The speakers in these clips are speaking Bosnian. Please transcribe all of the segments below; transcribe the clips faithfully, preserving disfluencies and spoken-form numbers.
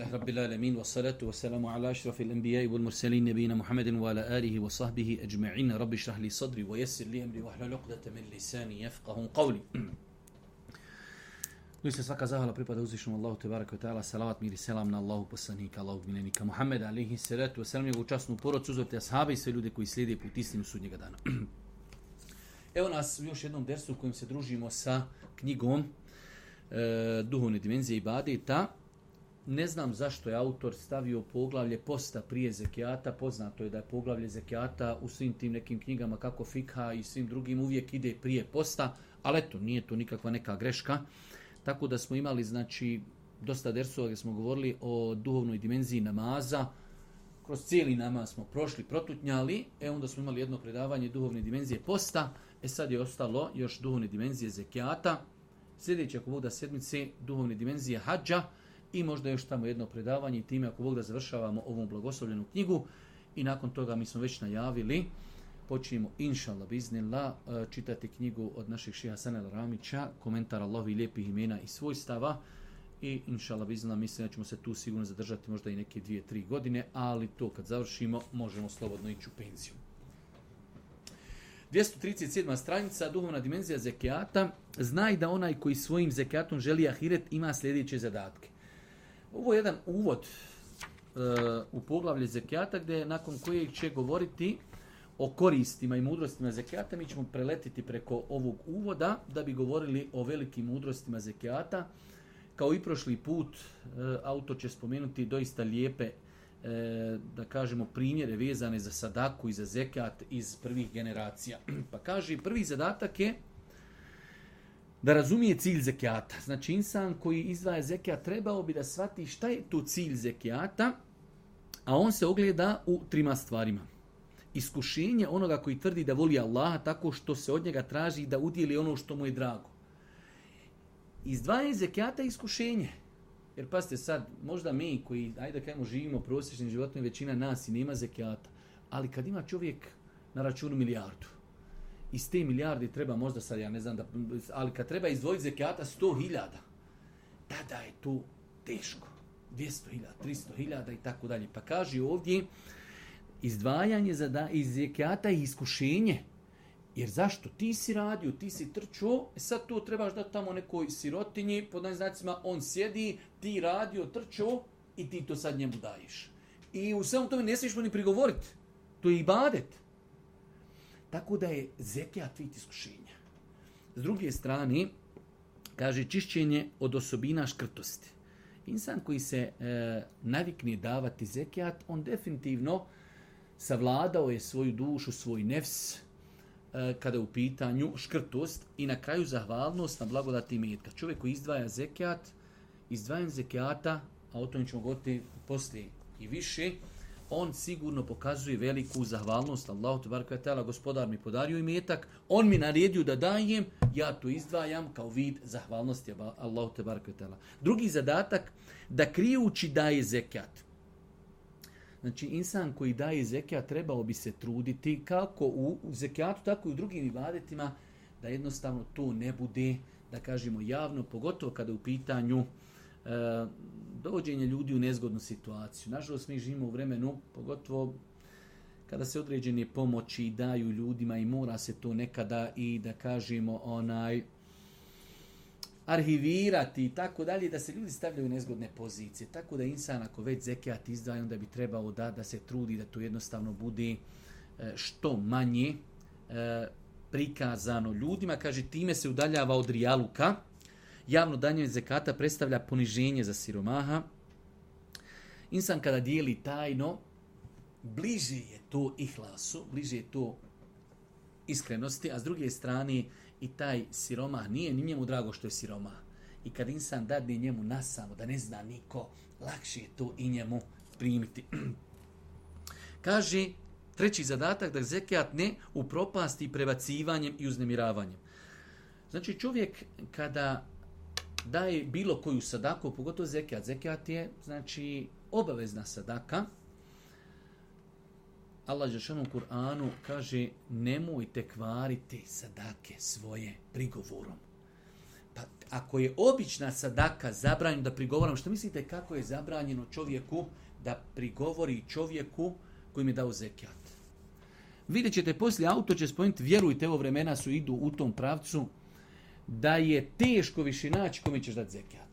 Alhamdulillahi Rabbil alamin, wa salatu wa salamu ala ashrafil anbiya'i wal mursalin nabiyina Muhammedin wa ala alihi wa sahbihi ajma'in. Rabbi shrah li sadri wa yassir li amri wahlul 'uqdatan min lisani yafqahu qawli. Doista svaka zahvala pripada uzvišenom Allahu te bareke ve taala, salavat mir i selam na Allahu poslanika, Allahu miljenika Muhammed alejhi salatu ve selam, njegovu časnu porodicu, uzorite ashabe i sve ljude koji slijede put istinu sudnjega dana. Evo nas u još jednom dersu u kojem se družimo sa knjigom e, Duhovne dimenzije ibadeta. Ne znam zašto je autor stavio poglavlje posta prije zekijata. Poznato je da je poglavlje zekijata u svim tim nekim knjigama kako fikha i svim drugim uvijek ide prije posta, ali eto, nije to nikakva neka greška. Tako da smo imali, znači, dosta dersova gdje smo govorili o duhovnoj dimenziji namaza. Kroz cijeli namaz smo prošli, protutnjali, e onda smo imali jedno predavanje duhovne dimenzije posta, e sad je ostalo još duhovne dimenzije zekijata. Sljedeće, ako Bog da, sedmice, duhovne dimenzije hadža i možda još tamo jedno predavanje i time, ako Bog da, završavamo ovu blagoslovljenu knjigu. I nakon toga mi smo već najavili, počinjemo, inšallah, biznillah, čitati knjigu od našeg šeha Hasana el-Ramića, komentar Allahovi lijepih imena i svojstava. I inšallah, biznillah, mislim da ćemo se tu sigurno zadržati možda i neke dvije, tri godine, ali to kad završimo, možemo slobodno ići u penziju. dvjesto trideset sedma stranica, duhovna dimenzija zekijata. Znaj da onaj koji svojim zekijatom želi ahiret ima sljedeće zadatke. Ovo je jedan uvod uh, u poglavlje zekijata, gdje nakon kojeg će govoriti o koristima i mudrostima zekijata. Mi ćemo preletiti preko ovog uvoda da bi govorili o velikim mudrostima zekijata. Kao i prošli put, uh, autor će spomenuti doista lijepe, uh, da kažemo, primjere vezane za sadaku i za zekijat iz prvih generacija. Pa kaže, prvi zadatak je da razumije cilj zekijata. Znači, insan koji izdvaja zekijat trebao bi da shvati šta je tu cilj zekijata, a on se ogleda u trima stvarima. Iskušenje onoga koji tvrdi da voli Allaha tako što se od njega traži da udjeli ono što mu je drago. Izdvajanje zekijata je iskušenje. Jer pazite sad, možda mi koji, ajde da kažemo, živimo prosječnim životom, većina nas i nema zekijata, ali kad ima čovjek na računu milijardu, iz te milijarde treba možda sad, ja ne znam, da, ali kad treba izdvojiti zekijata sto hiljada, tada je to teško. dvjesto hiljada, tristo hiljada i tako dalje. Pa kaže ovdje, izdvajanje za iz zekijata je iskušenje. Jer zašto? Ti si radio, ti si trčao, sad to trebaš dati tamo nekoj sirotinji, pod znacima on sjedi, ti radio, trčao i ti to sad njemu daješ. I u samom tome ne smiješ mu ni prigovoriti. To je ibadet. Tako da je zekijat vid iskušenja. S druge strane, kaže, čišćenje od osobina škrtosti. Insan koji se e, navikne davati zekijat, on definitivno savladao je svoju dušu, svoj nefs, e, kada je u pitanju škrtost i na kraju zahvalnost na blagodati imetka. Čovjek koji izdvaja zekijat, izdvajanjem zekijata, a o tom ćemo govoriti poslije i više, on sigurno pokazuje veliku zahvalnost Allahu te bareke ve taala, gospodar mi podario imetak, on mi naredio da dajem, ja to izdvajam kao vid zahvalnosti Allahu te bareke ve taala. Drugi zadatak, da krijući daje zekijat. Znači, insan koji daje zekijat trebao bi se truditi kako u zekijatu, tako i u drugim ibadetima, da jednostavno to ne bude, da kažemo, javno, pogotovo kada je u pitanju E, dovođenje ljudi u nezgodnu situaciju. Nažalost, mi živimo u vremenu, pogotovo kada se određene pomoći daju ljudima i mora se to nekada i, da kažemo, onaj arhivirati i tako dalje, da se ljudi stavljaju u nezgodne pozicije. Tako da insan, ako već zekijat izdvaja, onda bi trebao da, da se trudi da to jednostavno bude e, što manje e, prikazano ljudima. Kaže, time se udaljava od rijaluka. Javno danje zekata predstavlja poniženje za siromaha. Insan kada dijeli tajno, bliže je to ihlasu, bliže je to iskrenosti, a s druge strane i taj siromah nije ni njemu drago što je siromah. I kad insan dadne njemu nasamo, da ne zna niko, lakše je to i njemu primiti. Kaže, treći zadatak, da zekijat ne upropasti prebacivanjem i uznemiravanjem. Znači, čovjek kada daje bilo koju sadaku, pogotovo zekijat. Zekijat je, znači, obavezna sadaka. Allah dželle u Kur'anu kaže, nemojte kvariti sadake svoje prigovorom. Pa ako je obična sadaka zabranjena da prigovaram, što mislite kako je zabranjeno čovjeku da prigovori čovjeku koji mi je dao zekijat? Vidjet ćete poslije, autor će spomenuti, vjerujte, evo vremena su idu u tom pravcu, da je teško više naći kome ćeš dati zekijat.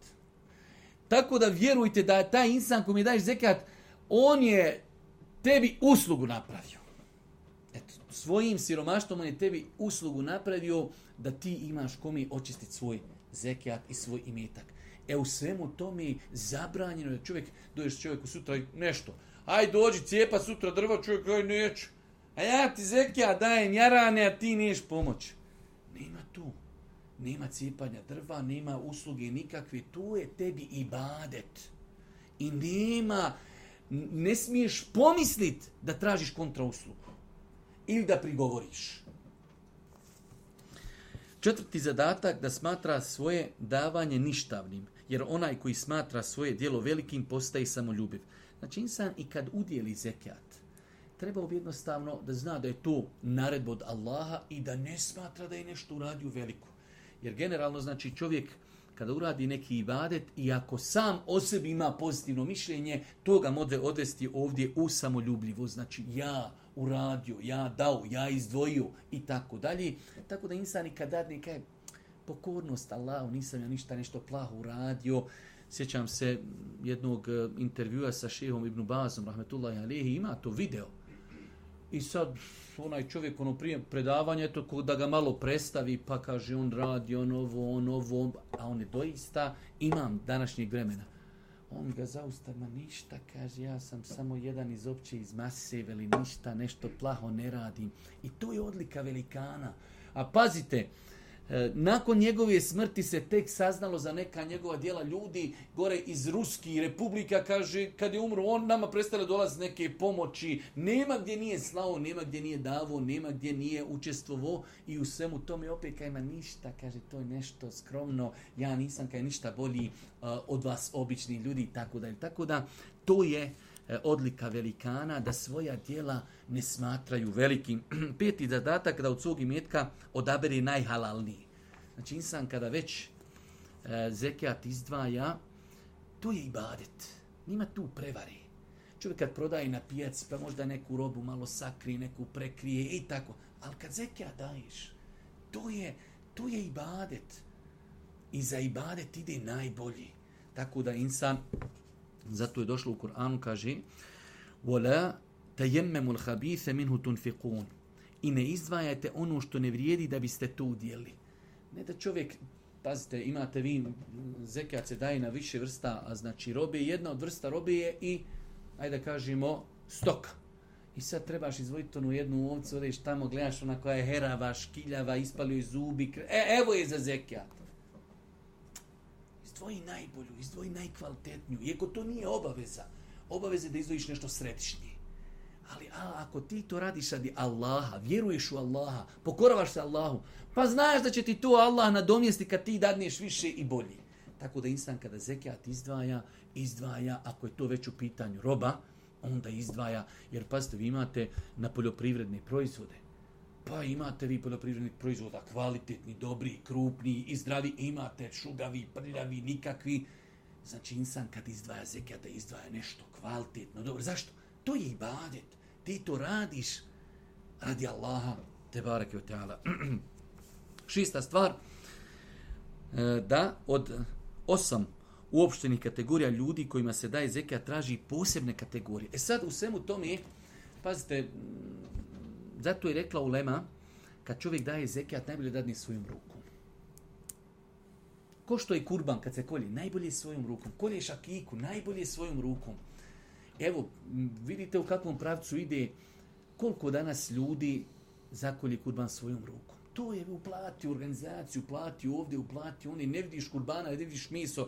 Tako da vjerujte da taj insan kome daješ zekijat, on je tebi uslugu napravio. Eto, svojim siromaštvom on je tebi uslugu napravio da ti imaš kome očistiti svoj zekijat i svoj imetak. E u svemu tome zabranjeno je čovjek, dođeš čovjeku sutra nešto, aj dođi cijepa sutra drva, čovjek, aj neću. A ja ti zekijat dajem jarane, a ti neš pomoć. Nema tu. Nema cijepanja drva, nema usluge nikakve. Tu je tebi ibadet. I nema, ne smiješ pomisliti da tražiš kontrauslugu. Ili da prigovoriš. Četvrti zadatak, da smatra svoje davanje ništavnim. Jer onaj koji smatra svoje djelo velikim postaje samoljubiv. Znači insan i kad udjeli zekijat, trebao bi jednostavno da zna da je to naredba od Allaha i da ne smatra da je nešto uradio veliko. Jer generalno znači čovjek kada uradi neki ibadet i ako sam o sebi ima pozitivno mišljenje, to ga može odvesti ovdje u samoljubljivu. Znači ja uradio, ja dao, ja izdvojio i tako dalje. Tako da insan i kad dadne kaj pokornost Allahu, nisam ja ništa nešto plaho uradio. Sjećam se jednog intervjua sa šehom Ibn Bazom, rahmetullahi alejhi, ima to video. I sad onaj čovjek ono prije predavanja, eto da ga malo predstavi, pa kaže on radi, on ovo, on ovo, a on je doista imam današnjeg vremena. On ga zaustavi, ma ništa, kaže, ja sam samo jedan iz opće, iz mase, veli ništa, nešto plaho ne radim. I to je odlika velikana. A pazite, nakon njegove smrti se tek saznalo za neka njegova djela, ljudi gore iz Ruskih republika, kaže, kad je umro, on nama prestale dolazi neke pomoći, nema gdje nije slao, nema gdje nije davo, nema gdje nije učestvovao i u svemu tome opet kaj ima ništa, kaže, to je nešto skromno, ja nisam kaj ništa bolji uh, od vas običnih ljudi, tako da, tako da, to je odlika velikana, da svoja djela ne smatraju velikim. Peti zadatak, da od svog imetka odabere najhalalniji. Znači insan kada već e, zekijat izdvaja, to je ibadet. Nima tu prevari. Čovjek kad prodaje na pijaci, pa možda neku robu malo sakrije, neku prekrije i tako. Ali kad zekijat daješ, to je, to je ibadet. I za ibadet ide najbolji. Tako da insan, zato je došlo u Kur'anu, kaže وَلَا تَيَمَّمُ الْحَبِيثَ مِنْهُ تُنْفِقُونَ i ne izdvajajte ono što ne vrijedi da biste to udjeli. Ne da čovjek, pazite, imate vi, zekijat se daje na više vrsta, a znači robe, jedna od vrsta robe je i, ajde da kažemo, stoka. I sad trebaš izvojiti onu jednu ovcu, odeš tamo, gledaš ona koja je herava, škiljava, ispalio je zubi, e, evo je za zekijat. Izdvoji najbolju, izdvoji najkvalitetniju. Iako to nije obaveza. Obaveza je da izdvojiš nešto središnje. Ali a, ako ti to radiš radi Allaha, vjeruješ u Allaha, pokoravaš se Allahu, pa znaš da će ti to Allah nadomjesti kad ti dadneš više i bolje. Tako da insan kada zekijat izdvaja, izdvaja, ako je to već u pitanju roba, onda izdvaja, jer pazite, vi imate na poljoprivredne proizvode. Pa imate vi poljoprivrednih proizvoda kvalitetni, dobri, krupni i zdravi, imate šugavi, prljavi, nikakvi. Znači insan kad izdvaja zekijat, da izdvaja nešto kvalitetno, dobro. Zašto? To je ibadet. Ti to radiš radi Allaha, te bareke ve taala. Šesta stvar, da od osam uopštenih kategorija ljudi kojima se daje zekijat traži posebne kategorije. E sad u svemu tome, pazite, zato je rekla ulema, kad čovjek daje zekijat, najbolje dadne svojom rukom. Ko što je kurban kad se kolje, najbolje svojom rukom. Kolješ akiku, najbolje svojom rukom. Evo, vidite u kakvom pravcu ide, koliko danas ljudi zakolje kurban svojom rukom. To je uplati organizaciju, uplati ovdje, uplati oni, ne vidiš kurbana, ne vidiš meso.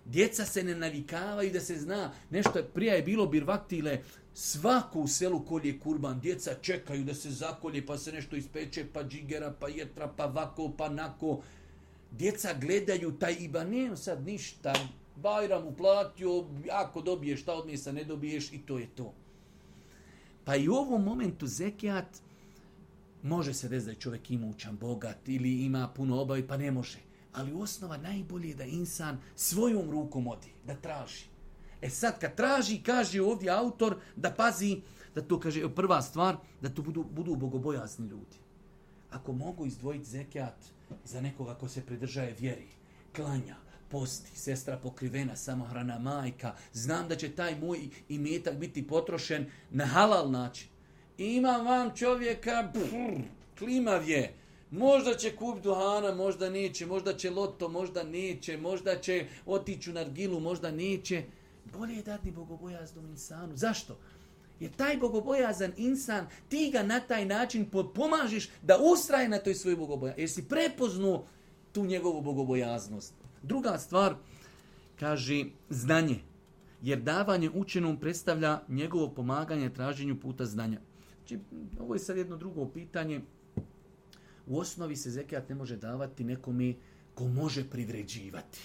Djeca se ne navikavaju da se zna. Nešto je, prije je bilo birvaktile, svako u selu kolje kurban, djeca čekaju da se zakolje, pa se nešto ispeče, pa džigera, pa jetra, pa vako, pa nako. Djeca gledaju taj iba, ne sad ništa, Bajram uplatio, ako dobiješ šta od mjesa, ne dobiješ i to je to. Pa i u ovom momentu zekijat može se desiti da je čovjek imućan, bogat ili ima puno obavi, pa ne može. Ali osnova najbolje je da insan svojom rukom odi, da traži. E sad kad traži, kaže ovdje autor da pazi, da to kaže prva stvar, da to budu, budu bogobojazni ljudi. Ako mogu izdvojiti zekijat za nekoga ko se pridržaje vjeri, klanja, posti, sestra pokrivena, samohrana majka, znam da će taj moj imetak biti potrošen na halal način. Imam vam čovjeka, brr, klimav je, možda će kupiti duhana, možda neće, možda će loto, možda neće, možda će otići u nargilu, možda neće. Bolje je dati bogobojaznom insanu. Zašto? Jer taj bogobojazan insan, ti ga na taj način pomažeš da ustraje na toj svojoj bogobojaznosti. Jer si prepoznao tu njegovu bogobojaznost. Druga stvar, kaže znanje. Jer davanje učenom predstavlja njegovo pomaganje traženju puta znanja. Znači, ovo je sad jedno drugo pitanje. U osnovi se zekijat ne može davati nekome ko može privređivati.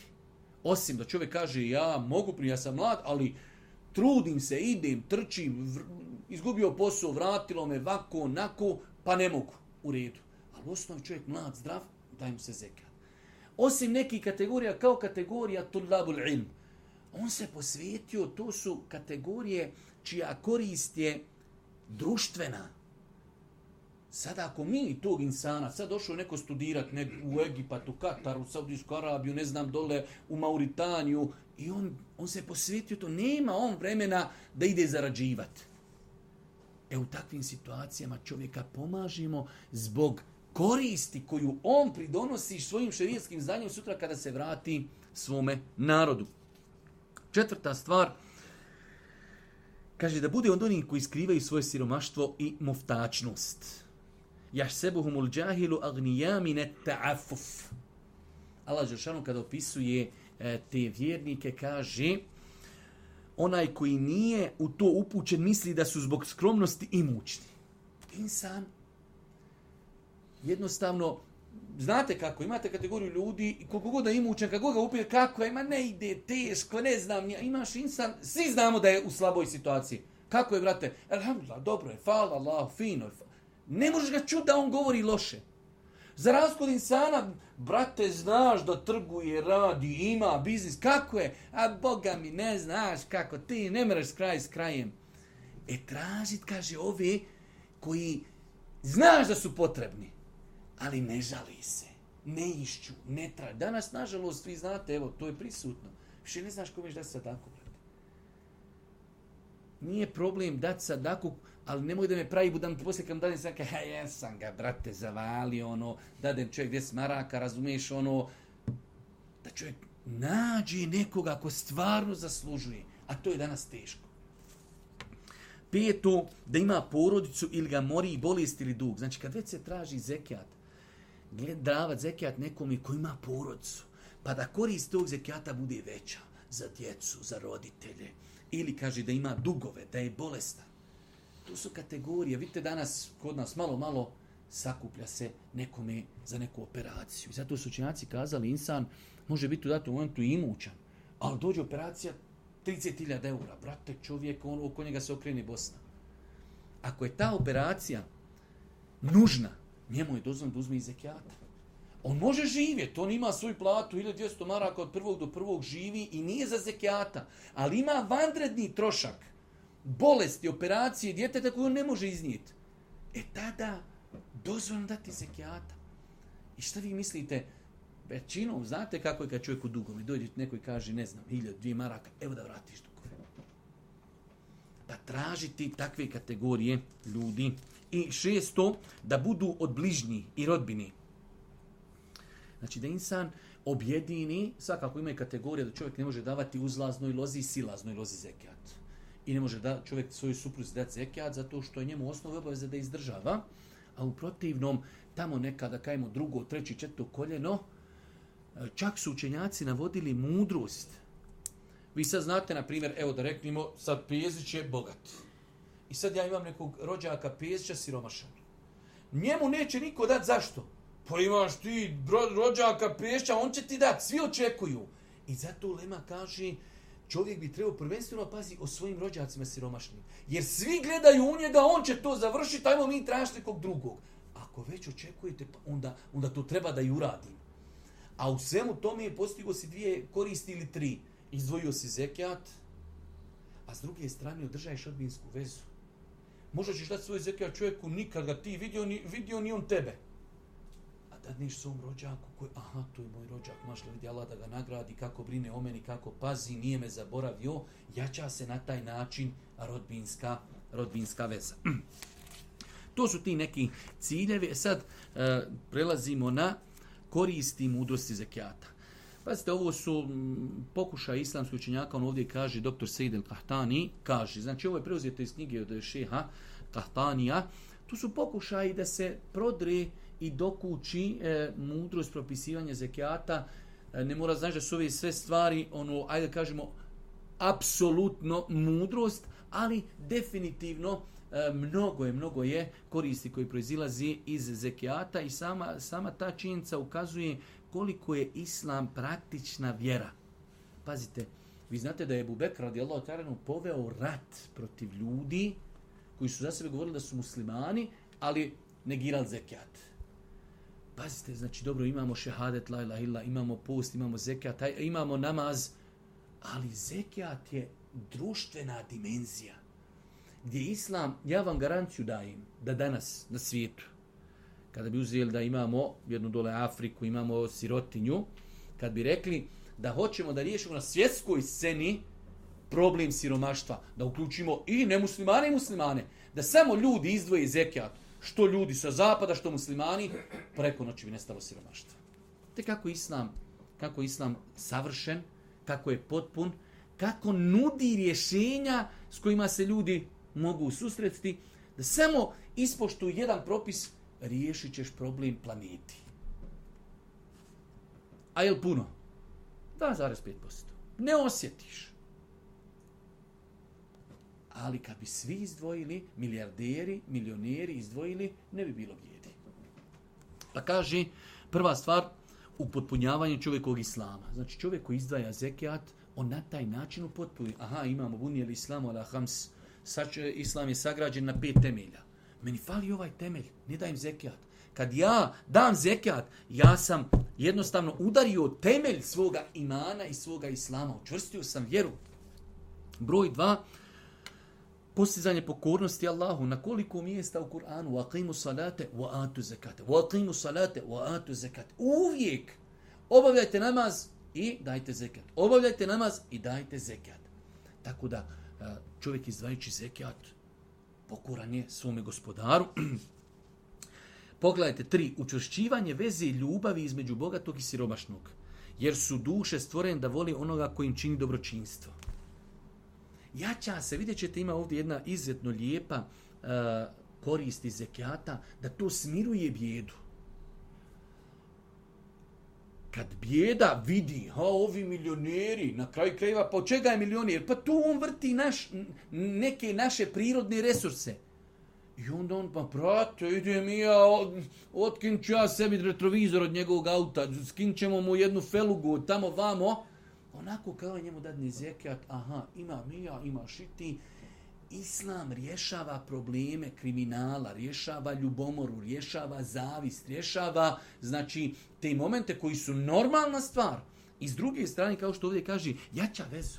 Osim da čovjek kaže ja mogu, ja sam mlad, ali trudim se, idem, trčim, vr, izgubio posao, vratilo me vako, onako, pa ne mogu. U redu. Ali u osnovi čovjek mlad, zdrav, daj mu se zekijat. Osim nekih kategorija, kao kategorija tulabul ilm. On se posvetio, to su kategorije čija korist je društvena. Sada ako mi tog insana, sad došao neko studirat nek, u Egipat, u Katar, u Saudijsku Arabiju, ne znam, dole u Mauritaniju, i on, on se posvetio to, nema on vremena da ide zarađivati. E u takvim situacijama čovjeka pomažimo zbog koristi koju on pridonosi svojim šerijskim znanjem sutra kada se vrati svome narodu. Četvrta stvar, kaže da bude od onih koji skrivaju svoje siromaštvo i muftačnost. Jahsebuhumul džahilu agnijamine ta'afuf. Allah Đelšanu kada opisuje e, te vjernike kaže onaj koji nije u to upućen misli da su zbog skromnosti imućni. Insan jednostavno, znate kako, imate kategoriju ljudi i koliko god da imućen, kako ga upije, kako ima, ne ide, teško, ne znam, imaš insan, svi znamo da je u slaboj situaciji. Kako je, brate? Alhamdulillah, dobro je, hvala Allah, fino je. Ne možeš ga čuti da on govori loše. Za razliku od insana, brate, znaš da trguje, radi, ima biznis, kako je? A Boga mi, ne znaš kako, ti ne mreš kraj s krajem. E, tražit, kaže, ove koji znaš da su potrebni, ali ne žali se, ne išću, ne traži. Danas, nažalost, vi znate, evo, to je prisutno. Više ne znaš kome da se sadaku, brate. Nije problem dati sadaku, ali nemoj da me pravi budam poslije kad dadem sam kaže, ja sam ga, brate, zavalio, ono, dadem čovjek deset maraka, razumiješ, ono, da čovjek nađe nekoga ko stvarno zaslužuje, a to je danas teško. Peto, da ima porodicu ili ga mori i bolest ili dug. Znači, kad već se traži zekijat, davat zekijat nekome ko ima porodicu, pa da korist tog zekijata bude veća za djecu, za roditelje, ili kaže da ima dugove, da je bolestan. To su kategorije. Vidite danas kod nas malo, malo sakuplja se nekome za neku operaciju. I zato su učenjaci kazali, insan može biti u datom momentu imućan, ali dođe operacija trideset hiljada eura. Brate, čovjek, on, oko njega se okrene Bosna. Ako je ta operacija nužna, njemu je dozvoljeno da uzme iz zekijata. On može živjeti, on ima svoju platu, hiljadu dvjesto maraka od prvog do prvog živi i nije za zekijata, ali ima vanredni trošak, bolesti, operacije, djeteta koju on ne može iznijeti. E tada dozvoljeno dati zekijata. I šta vi mislite? Većinom, znate kako je kad čovjek u dugovi, dođe neko i kaže, ne znam, hiljadu, dvije maraka, evo da vratiš dugove. Pa tražiti takve kategorije ljudi. I šesto, da budu od bližnjih i rodbini. Znači da insan objedini, svakako ima i kategorija da čovjek ne može davati uzlaznoj lozi i silaznoj lozi zekijat. I ne može da čovjek svoju supruzi dati zekijat zato što je njemu osnova obaveza da izdržava, a u protivnom tamo nekada kajemo drugo, treći, četvrto koljeno, čak su učenjaci navodili mudrost. Vi sad znate, na primjer, evo da reknemo, sad Pezić je bogat. I sad ja imam nekog rođaka Pezića siromašan. Njemu neće niko dati, zašto? Pa imaš ti rođaka Pezića, on će ti dati, svi očekuju. I zato Lema kaže, čovjek bi trebao prvenstveno pazi o svojim rođacima siromašnim. Jer svi gledaju u njega, on će to završiti, ajmo mi tražiti nekog drugog. Ako već očekujete, onda, onda to treba da i uradim. A u svemu tome je postigo si dvije koristi ili tri. Izdvojio si zekijat, a s druge strane održaješ rodbinsku vezu. Možda ćeš dati svoj zekijat čovjeku, nikad ga ti vidio, ni, vidio ni on tebe. A dadneš svom rođaku koji, aha, to je moj rođak, mašla vidi Allah da ga nagradi, kako brine o meni, kako pazi, nije me zaboravio, jača se na taj način rodbinska, rodbinska veza. To su ti neki ciljevi. Sad e, prelazimo na koristi mudrosti zekijata. Pazite, ovo su pokušaj islamskog učenjaka, on ovdje kaže, doktor Sejid el-Kahtani, kaže, znači ovo je preuzeto iz knjige od šeha Kahtanija, tu su pokušaji da se prodre i dokući e, mudrost propisivanja zekijata. E, ne mora znači da su ove sve stvari, ono, ajde da kažemo, apsolutno mudrost, ali definitivno e, mnogo je, mnogo je koristi koji proizilazi iz zekijata i sama, sama ta činjenica ukazuje koliko je islam praktična vjera. Pazite, vi znate da je Ebu Bekr radijallahu ta'ala poveo rat protiv ljudi koji su za sebe govorili da su muslimani, ali negirali zekijat. Pazite, znači dobro, imamo šehadet, la ilaha illa, imamo post, imamo zekijat, imamo namaz, ali zekijat je društvena dimenzija. Gdje islam, ja vam garanciju dajem da danas na svijetu, kada bi uzeli da imamo jednu dole Afriku, imamo sirotinju, kad bi rekli da hoćemo da riješimo na svjetskoj sceni problem siromaštva, da uključimo i nemuslimane i muslimane, da samo ljudi izdvoje zekijat, što ljudi sa zapada, što muslimani, preko noći bi nestalo siromaštva. Te kako islam, kako islam savršen, kako je potpun, kako nudi rješenja s kojima se ljudi mogu susretiti, da samo ispoštuju jedan propis, riješit ćeš problem planeti. A je li puno? dva zarez pet posto. Ne osjetiš. Ali kad bi svi izdvojili, milijarderi, milioneri izdvojili, ne bi bilo bijedi. Pa kaže, prva stvar, upotpunjavanje čovjekovog islama. Znači čovjek koji izdvaja zekijat, on na taj način upotpunjuje. Aha, imamo bunijel islamu ala hams. Islam je sagrađen na pet temelja. Meni fali ovaj temelj, ne dajem zekijat. Kad ja dam zekijat, ja sam jednostavno udario temelj svoga imana i svoga islama. Učvrstio sam vjeru. Broj dva, postizanje pokornosti Allahu. Na koliko mjesta u Kur'anu? Waqimu salate wa atu zakate. Waqimu salate wa atu zakate. Uvijek obavljajte namaz i dajte zekijat. Obavljajte namaz i dajte zekijat. Tako da čovjek izdvajajući zekijat pokoran je svome gospodaru. Pogledajte, tri, učvršćivanje veze i ljubavi između bogatog i siromašnog. Jer su duše stvorene da voli onoga koji im čini dobročinstvo. Jača se, vidjet ćete, ima ovdje jedna izuzetno lijepa uh, korist iz zekijata, da to smiruje bijedu. Kad bijeda vidi, ha, ovi milioneri, na kraju krajeva, pa od čega je milioner? Pa tu on vrti naš, neke naše prirodne resurse. I onda on, pa brate, idem ja, otkin ću ja sebi retrovizor od njegovog auta, skin ćemo mu jednu felugu, tamo vamo. Onako kao njemu dadne zekijat, aha, ima mija, imaš i ti. Islam rješava probleme kriminala, rješava ljubomoru, rješava zavist, rješava, znači, te momente koji su normalna stvar. I s druge strane, kao što ovdje kaže, jača vezu.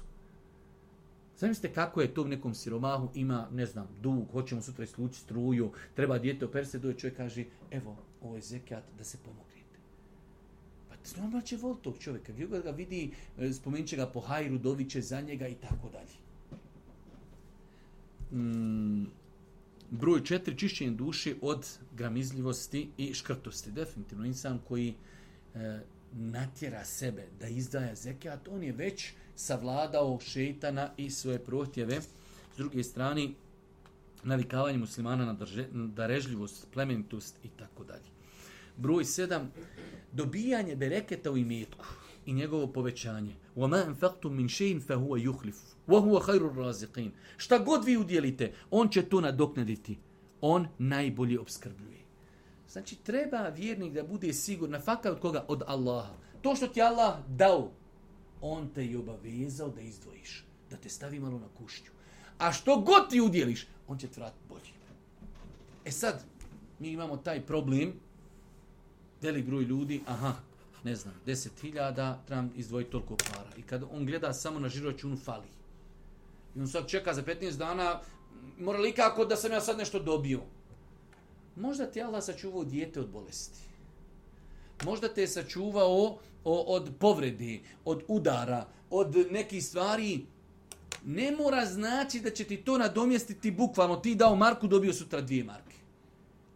Zamislite kako je to u nekom siromahu, ima, ne znam, dug, hoćemo sutra islući struju, treba dijete operse, doje čovjek kaže, evo, ovo je zekijat da se pomognete. Pa normalno će voliti tog čovjeka, gdje ga vidi, spomenut će ga po hajru, doviće za njega i tako dalje. Mm, broj četiri, čišćenje duše od gramizljivosti i škrtosti. Definitivno, insan koji e, natjera sebe da izdaja zekijat, on je već savladao šejtana i svoje prohtjeve. S druge strane, navikavanje muslimana na drže, darežljivost, plemenitost i tako dalje. Broj sedam, dobijanje bereketa u imetku i njegovo povećanje. وَمَا أَنْفَقْتُمْ مِنْ شَيْءٍ فَهُوَ يُخْلِفُ وَهُوَ خَيْرُ الرَّازِقِينَ. Šta god vi udjelite, on će to nadoknaditi. On najbolje opskrbljuje. Znači, treba vjernik da bude siguran, fakat od koga? Od Allaha. To što ti Allah dao, on te je obavezao da izdvojiš, da te stavi malo na kušnju. A što god ti udjeliš, on će te vratiti bolje. E sad, mi imamo taj problem, velik broj ljudi, aha, ne znam, deset hiljada, trebam izdvojiti toliko para. I kad on gleda samo na žiro računu, fali. I on sad čeka za petnaest dana, mora li kako da sam ja sad nešto dobio? Možda ti Allah sačuvao dijete od bolesti. Možda te je sačuvao od povrede, od udara, od nekih stvari. Ne mora znači da će ti to nadomjestiti bukvalno. Ti dao marku, dobio sutra dvije marke.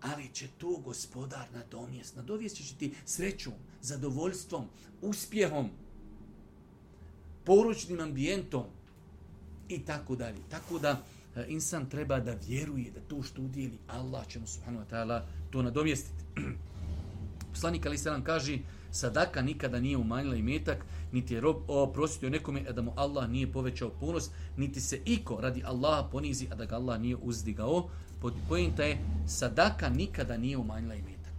Ali će to gospodar nadomjest. Nadomjestit će ti srećom, zadovoljstvom, uspjehom, poručnim ambijentom i tako dalje. Tako da insan treba da vjeruje da to što udjeli Allah će mu subhanahu wa ta'ala to nadomjestiti. Poslanik alejhi selam kaže: sadaka nikada nije umanjila imetak, niti je rob oprostio nekome, a da mu Allah nije povećao ponos, niti se iko radi Allaha ponizi, a da ga Allah nije uzdigao. Poenta je, sadaka nikada nije umanjila imetak.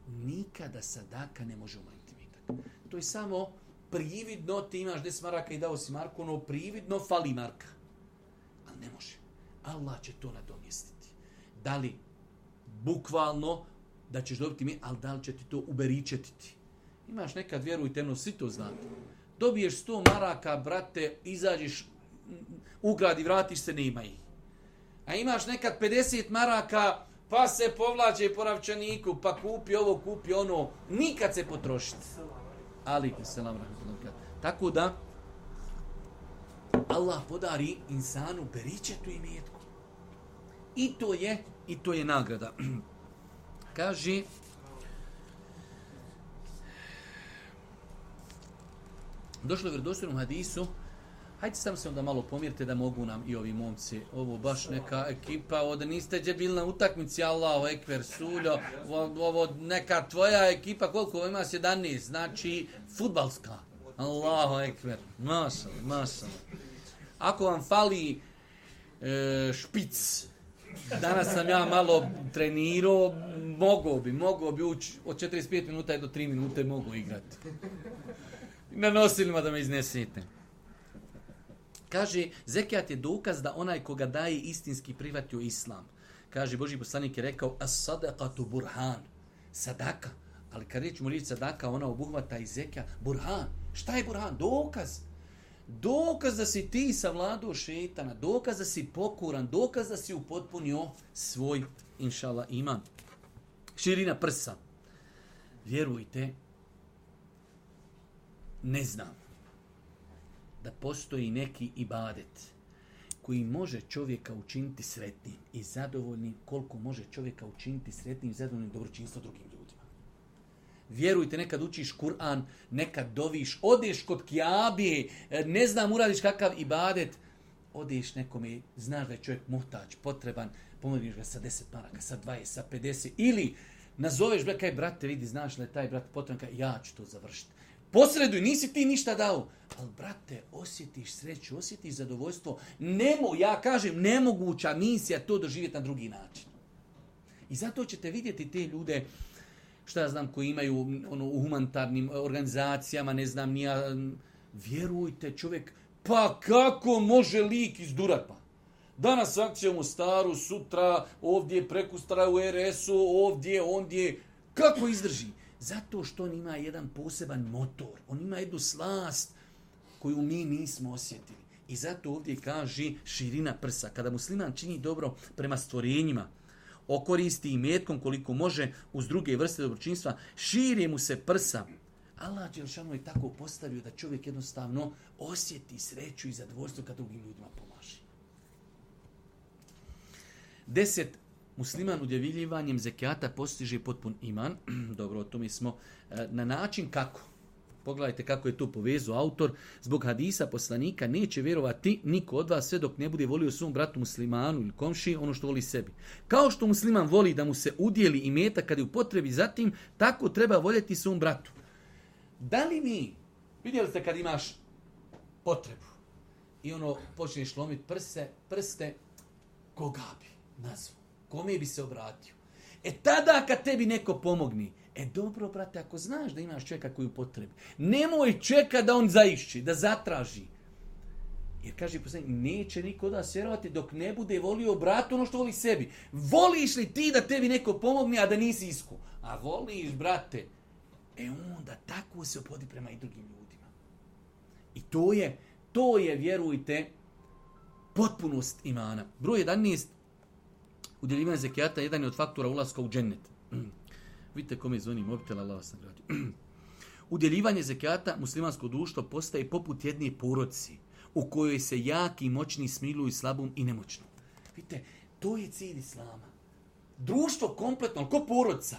Nikada sadaka ne može umanjiti imetak. To je samo prividno, ti imaš deset maraka i dao si marku, ono prividno fali marka. Ali ne može. Allah će to nadomjestiti. Da li bukvalno da ćeš dobiti mi, ali da li će ti to uberičetiti? Imaš nekad, vjerujte, no svi to znate. Dobiješ sto maraka, brate, izađeš, ugradi, vratiš se, nema ih. A imaš nekad pedeset maraka, pa se povlađe po ravčaniku, pa kupi ovo, kupi ono, nikad se potrošiti. Ali, selam rahmetullah. Tako da, Allah podari insanu beričetu imetku. I to je, i to je nagrada. Kaže, došlo je u vjerodostojnom hadisu, hajde sam se onda malo pomjerite da mogu nam i ovi momci, ovo baš neka ekipa, ovdje niste gdje bili na utakmici, Allahu ekber, suljo, ovo neka tvoja ekipa, koliko ima sedamnaest, znači fudbalska, Allahu ekber, mašal, mašal. Ako vam fali e, špic, danas sam ja malo trenirao, mogao bi, mogao bi ući od četrdeset pet minuta do tri minute mogu igrati. Na nosilima da me iznesete. Kaže, zekijat je dokaz da onaj koga daje istinski prihvatio islam. Kaže, Božji poslanik je rekao, as-sadaqatu burhan, sadaka. Ali kad rećemo riječ sadaka, ona obuhvata i zekija. Burhan, šta je burhan? Dokaz. Dokaz da si ti savladao šetana, dokaz da si pokoran, dokaz da si upotpunio svoj, inšala, iman. Širina prsa. Vjerujte, ne znam da postoji neki ibadet koji može čovjeka učiniti sretnim i zadovoljnim koliko može čovjeka učiniti sretnim i zadovoljnim dobročinstvo drugim ljudima. Vjerujte, nekad učiš Kur'an, nekad doviš, odeš kod Kjabe, ne znam, uradiš kakav ibadet, odeš nekome, znaš da je čovjek muhtač, potreban, pomodiš ga sa deset maraka, sa dvadeset, sa pedeset, ili nazoveš ga, kaj brate, vidi, znaš da je taj brat potreban, ja ću to završiti. Posreduj, nisi ti ništa dao. Ali, brate, osjetiš sreću, osjetiš zadovoljstvo. Nemo, ja kažem, nemoguća misija to doživjeti na drugi način. I zato ćete vidjeti te ljude, šta ja znam, koji imaju ono, u humanitarnim organizacijama, ne znam, nija, vjerujte, čovjek, pa kako može lik izdurat pa? Danas akcija u Mostaru, sutra, ovdje, prekustra u er es u, ovdje, ondje. Kako izdrži? Zato što on ima jedan poseban motor. On ima jednu slast koju mi nismo osjetili. I zato ovdje kaže širina prsa. Kada musliman čini dobro prema stvorenjima, okoristi i metkom koliko može uz druge vrste dobročinstva, širi mu se prsa. Allah dželešanu je tako postavio da čovjek jednostavno osjeti sreću i zadovoljstvo kad drugim ljudima pomaže. Deset. Musliman udjeljivanjem zekijata postiže potpun iman. Dobro, o tome smo na način kako. Pogledajte kako je to povezao autor. Zbog hadisa poslanika neće vjerovati niko od vas sve dok ne bude volio svom bratu muslimanu ili komši ono što voli sebi. Kao što musliman voli da mu se udjeli imetak kad je u potrebi zatim, tako treba voljeti svom bratu. Da li mi, vidjeli ste kad imaš potrebu i ono počneš lomiti prse, prste, koga bi nazvao? Kome bi se obratio? E tada kad tebi neko pomogni, e dobro, brate, ako znaš da imaš čovjeka koji u potrebi, nemoj čeka da on zaišći, da zatraži. Jer kaže poslanik, neće niko od vas vjerovati dok ne bude volio bratu ono što voli sebi. Voliš li ti da tebi neko pomogne, a da nisi isku? A voliš, brate, E onda tako se opodi prema i drugim ljudima. I to je, to je, vjerujte, potpunost imana. Broj jedanaest, udjeljivanje zekijata, jedan je od faktora ulaska u džennet. Vidite kome zvoni mobitel, Allah vas nagradio. Udjeljivanje zekijata muslimansko društvo postaje poput jedne porodice u kojoj se jaki i moćni smiluju slabom i nemoćnom. Vidite, to je cilj islama. Društvo kompletno, ko porodica,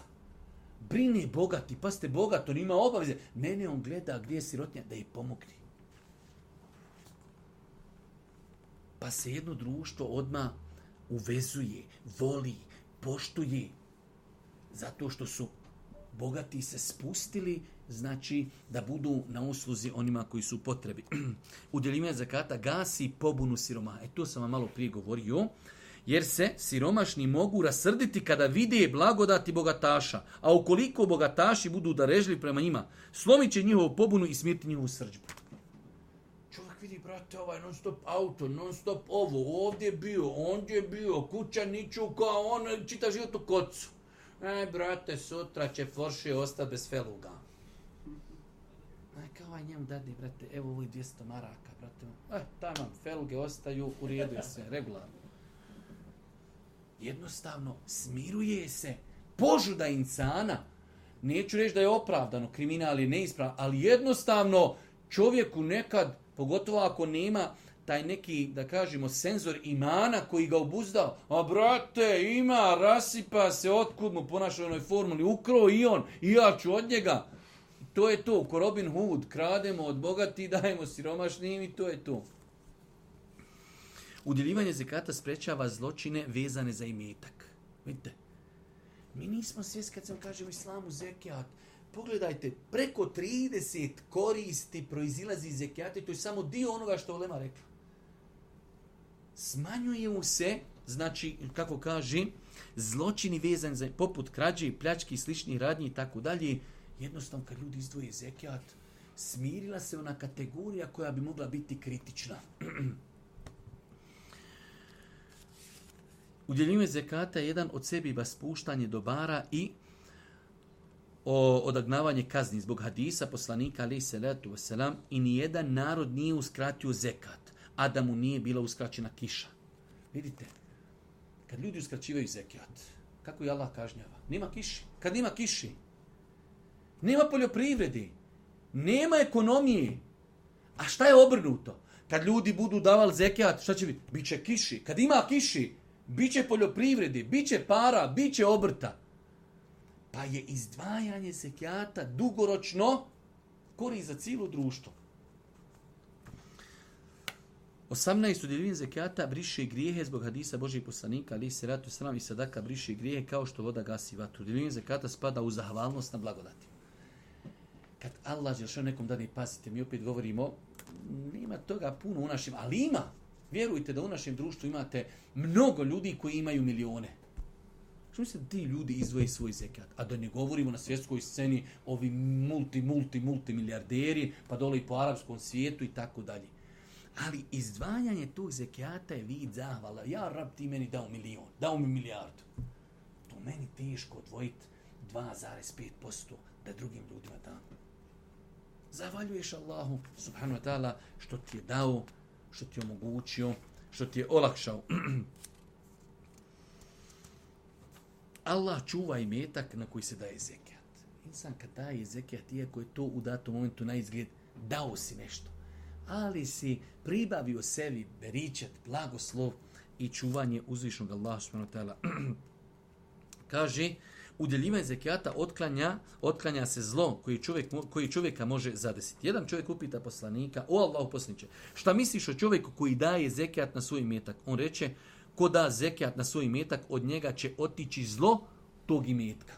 brine bogati, pa ste bogat, on ima obaveze. Ne, ne, on gleda gdje je sirotnja, da je pomogni. Pa se jedno društvo odmah uvezuje, voli, poštuje, zato što su bogati se spustili, znači da budu na usluzi onima koji su u potrebi. Udjeljivanje zakata gasi pobunu siromaha. E to sam vam malo prije govorio, jer se siromašni mogu rasrditi kada vide blagodati bogataša, a ukoliko bogataši budu darežljivi prema njima, slomit će njihovu pobunu i smiriti njihovu srdžbu. Čovjek vidi, brate, ovaj non stop auto, non stop ovo, ovdje je bio, ondje je bio, kuća niču kao on, čita život u kocu. Aj, brate, sutra će Porsche ostati bez feluga. Aj, kao ovaj njemu dadi, brate, evo ovo je dvjesto maraka, brate. Eh, tamo, feluge ostaju, u redu je sve, regularno. Jednostavno, smiruje se požuda insana. Neću reći da je opravdano, kriminal je neispravan, ali jednostavno čovjeku nekad, pogotovo ako nema taj neki, da kažemo, senzor imana koji ga obuzdao. A brate, ima, rasipa se, otkud mu ponaša u onoj formuli, ukro i on, i ja ću od njega. To je to, ko Robin Hood, krademo od bogati, dajemo siromašnim i to je to. Udjeljivanje zekata sprečava zločine vezane za imetak. Vidite, mi nismo svjesni kad sam kažem islamu zekijat. Pogledajte, preko trideset koristi proizilazi iz zekijata i to je samo dio onoga što ulema rekla. Smanjuje mu se, znači, kako kaže, zločini vezani za, poput krađe, pljački, sličnih radnji i tako dalje. Jednostavno, kad ljudi izdvoje zekijat, smirila se ona kategorija koja bi mogla biti kritična. Udjeljivanje zekata je jedan od sebi spuštanje dobara i o odagnavanje kazni zbog hadisa poslanika alejhi selatu vesselam i nijedan narod nije uskratio zekat, a da mu nije bila uskraćena kiša. Vidite, kad ljudi uskraćivaju zekat, kako je Allah kažnjava? Nema kiši. Kad nema kiši, nema poljoprivredi, nema ekonomije. A šta je obrnuto? Kad ljudi budu davali zekat, šta će biti? Biće kiši. Kad ima kiši, biće poljoprivredi, biće para, biće obrta. Pa je izdvajanje zekijata dugoročno korist za cijelo društvo. osamnaest Udjeljivanje zekijata briše grijehe zbog hadisa Božijeg poslanika, alejhi selatu vesselam, i sadaka briše grijehe kao što voda gasi vatru. Udjeljivanje zekijata spada u zahvalnost na blagodati. Kad Allah dželle nekom dade, pazite, mi opet govorimo, nema toga puno u našem, ali ima. Vjerujte da u našem društvu imate mnogo ljudi koji imaju milione. Što mislite, ti ljudi izdvoje svoj zekat? A da ne govorimo na svjetskoj sceni ovi multi, multi, multi milijarderi, pa dole i po arapskom svijetu i tako dalje. Ali izdvajanje tog zekijata je vid zahvala. Ja, rab, ti meni dao milion, dao mi milijardu. To meni teško odvojiti dva zarez pet posto da drugim ljudima dam. Zahvaljuješ Allahu subhanahu wa ta'ala što ti je dao, što ti je omogućio, što ti je olakšao. Allah čuva imetak na koji se daje zekijat. Insan kad daje zekijat, iako je to u datom momentu na izgled, dao si nešto. Ali si pribavio sebi beričet, blagoslov i čuvanje uzvišnog Allaha subhanahu wa ta'ala. Kaže, udjeljivanje zekijata otklanja, otklanja se zlo koji, čovjek, koji čovjeka može zadesiti. Jedan čovjek upita poslanika, o Allahu poslaniče, šta misliš o čovjeku koji daje zekijat na svoj imetak? On reče, ko da zekijat na svoj imetak, od njega će otići zlo tog imetka.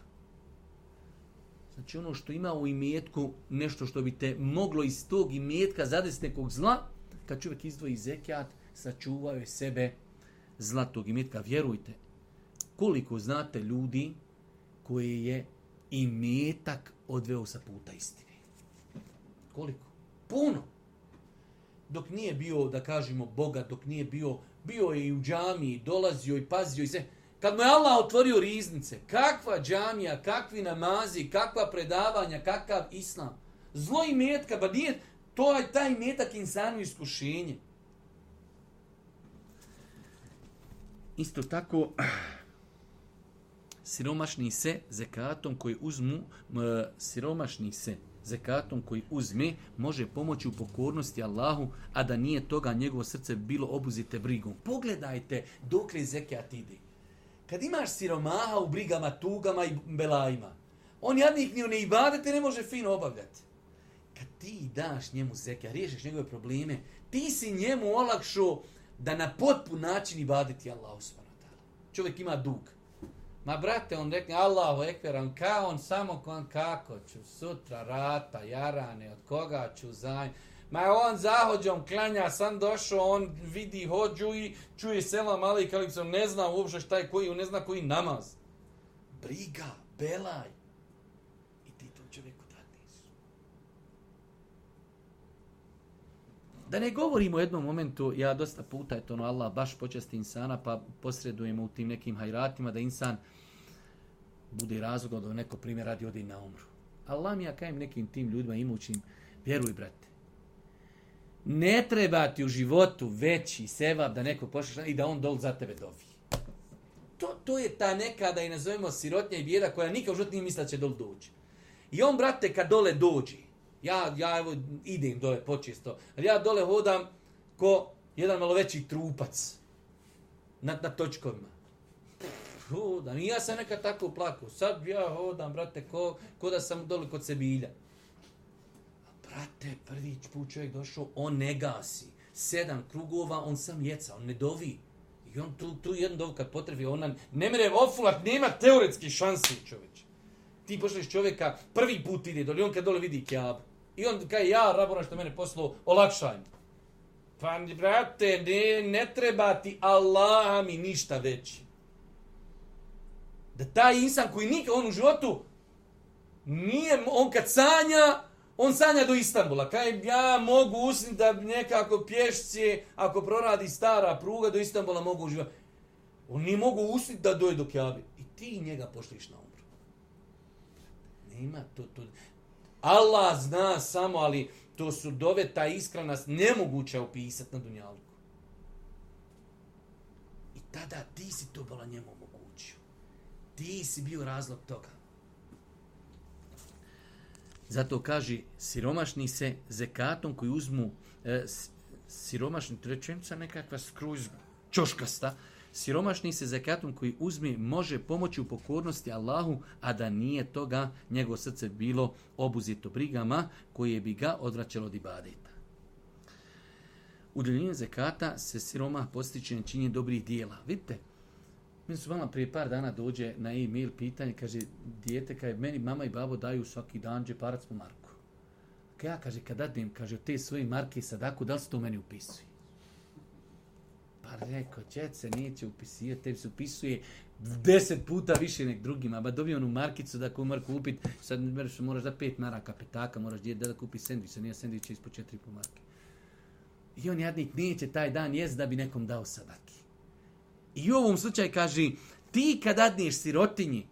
Znači ono što ima u imetku, nešto što bi te moglo iz tog imetka zadesiti nekog zla, kad čovjek izdvoji zekijat, sačuvao je sebe zla tog imetka. Vjerujte, koliko znate ljudi koje je imetak odveo sa puta istine. Koliko? Puno. Dok nije bio, da kažemo, bogat, dok nije bio, bio je i u džamiji, dolazio i pazio i sve. Kad mu je Allah otvorio riznice, kakva džamija, kakvi namazi, kakva predavanja, kakav islam. Zlo i metka, ba nije to je taj metak insanu iskušenje. Isto tako, siromašni se zekatom koji uzmu, siromašni se zekatom koji uzme, može pomoći u pokornosti Allahu, a da nije toga njegovo srce bilo obuzite brigom. Pogledajte dokle zekat ide. Kad imaš siromaha u brigama, tugama i belajima, on jadnik ni one ibadete ne može fino obavljati. Kad ti daš njemu zekat, riješiš njegove probleme, ti si njemu olakšao da na potpun način ibadeti Allahu subhanahu wa ta'ala. Čovjek ima dug. Ma brate, on rekne, Allahu ekber, on kao on samo on kako ću sutra rata, jarane, od koga ću zajm. Ma on zahođom klanja, sam došao, on vidi hođu i čuje selam ali kaliksom, ne zna uopšte šta je koji, on ne zna koji namaz. Briga, belaj. I ti tom čovjeku dadneš. Da ne govorimo u jednom momentu, ja dosta puta je to ono Allah baš počasti insana, pa posredujemo u tim nekim hajratima da insan bude razlog da neko primjer radi odi na umru. Allah mi ja kajem nekim tim ljudima imućim, vjeruj brate, ne treba ti u životu veći sevap da neko pošliš i da on dol za tebe dovi. To, to je ta neka, da je nazovemo sirotnja i bijeda koja nikad u životu nije misla će dol doći. I on, brate, kad dole dođe, ja, ja evo, idem dole počesto, ali ja dole hodam ko jedan malo veći trupac na, na točkovima. Hodam, i ja sam nekad tako plakao. Sad ja hodam, brate, ko, ko da sam dole kod Sebilja. Brate, prvi put čovjek došao, on ne gasi. Sedam krugova, on sam jeca, on ne dovi. I on tu, tu jedan dov kad potrebi, on ne mere ofulat, nema teoretski šansi čovječ. Ti pošliš čovjeka, prvi put ide dole, on kad dole vidi Kjabu. I on kaže, ja, Rabona što mene poslao, olakšaj mi. Pa, brate, ne, ne treba ti Allaha mi ništa veći. Da taj insan koji nikad on u životu nije, on kad sanja, on sanja do Istanbula. Kaj ja mogu usniti da nekako pješće, ako proradi stara pruga, do Istanbula mogu uživati. On nije mogu usniti da doje do Kjabe. I ti njega pošliš na umru. Nema to, to. Allah zna samo, ali to su dove, ta iskrenost nemoguće opisati na dunjalku. I tada ti si to bila njemu omogućio. Ti si bio razlog toga. Zato kaže, siromašni se zekatom koji uzmu, e, siromašni, to rečenica nekakva skroz čoškasta, siromašni se zekatom koji uzme može pomoći u pokornosti Allahu, a da nije toga njegovo srce bilo obuzito brigama koje bi ga odvraćalo od ibadeta. Udjeljenjem zekata se siromah postiče na činjenje dobrih dijela. Vidite, meni su vama prije par dana dođe na e-mail pitanje, kaže, dijete, kaže, meni mama i babo daju svaki dan džeparac po marku. Kaj ja, kaže, kad dadnem, kaže, te svoje marke sadaku, da li se to meni upisuje? Pa rekao, čet se neće upisivati, tebi se upisuje deset puta više nek drugima, ba dobio onu markicu da ko mora kupiti, sad moraš da pet maraka petaka, moraš djeti da kupi sendvič, sad nije sendvič ispod četiri po marke. I on jadnik neće taj dan jest da bi nekom dao sadaki. I u ovom slučaju kaže, ti kad dadneš sirotinji,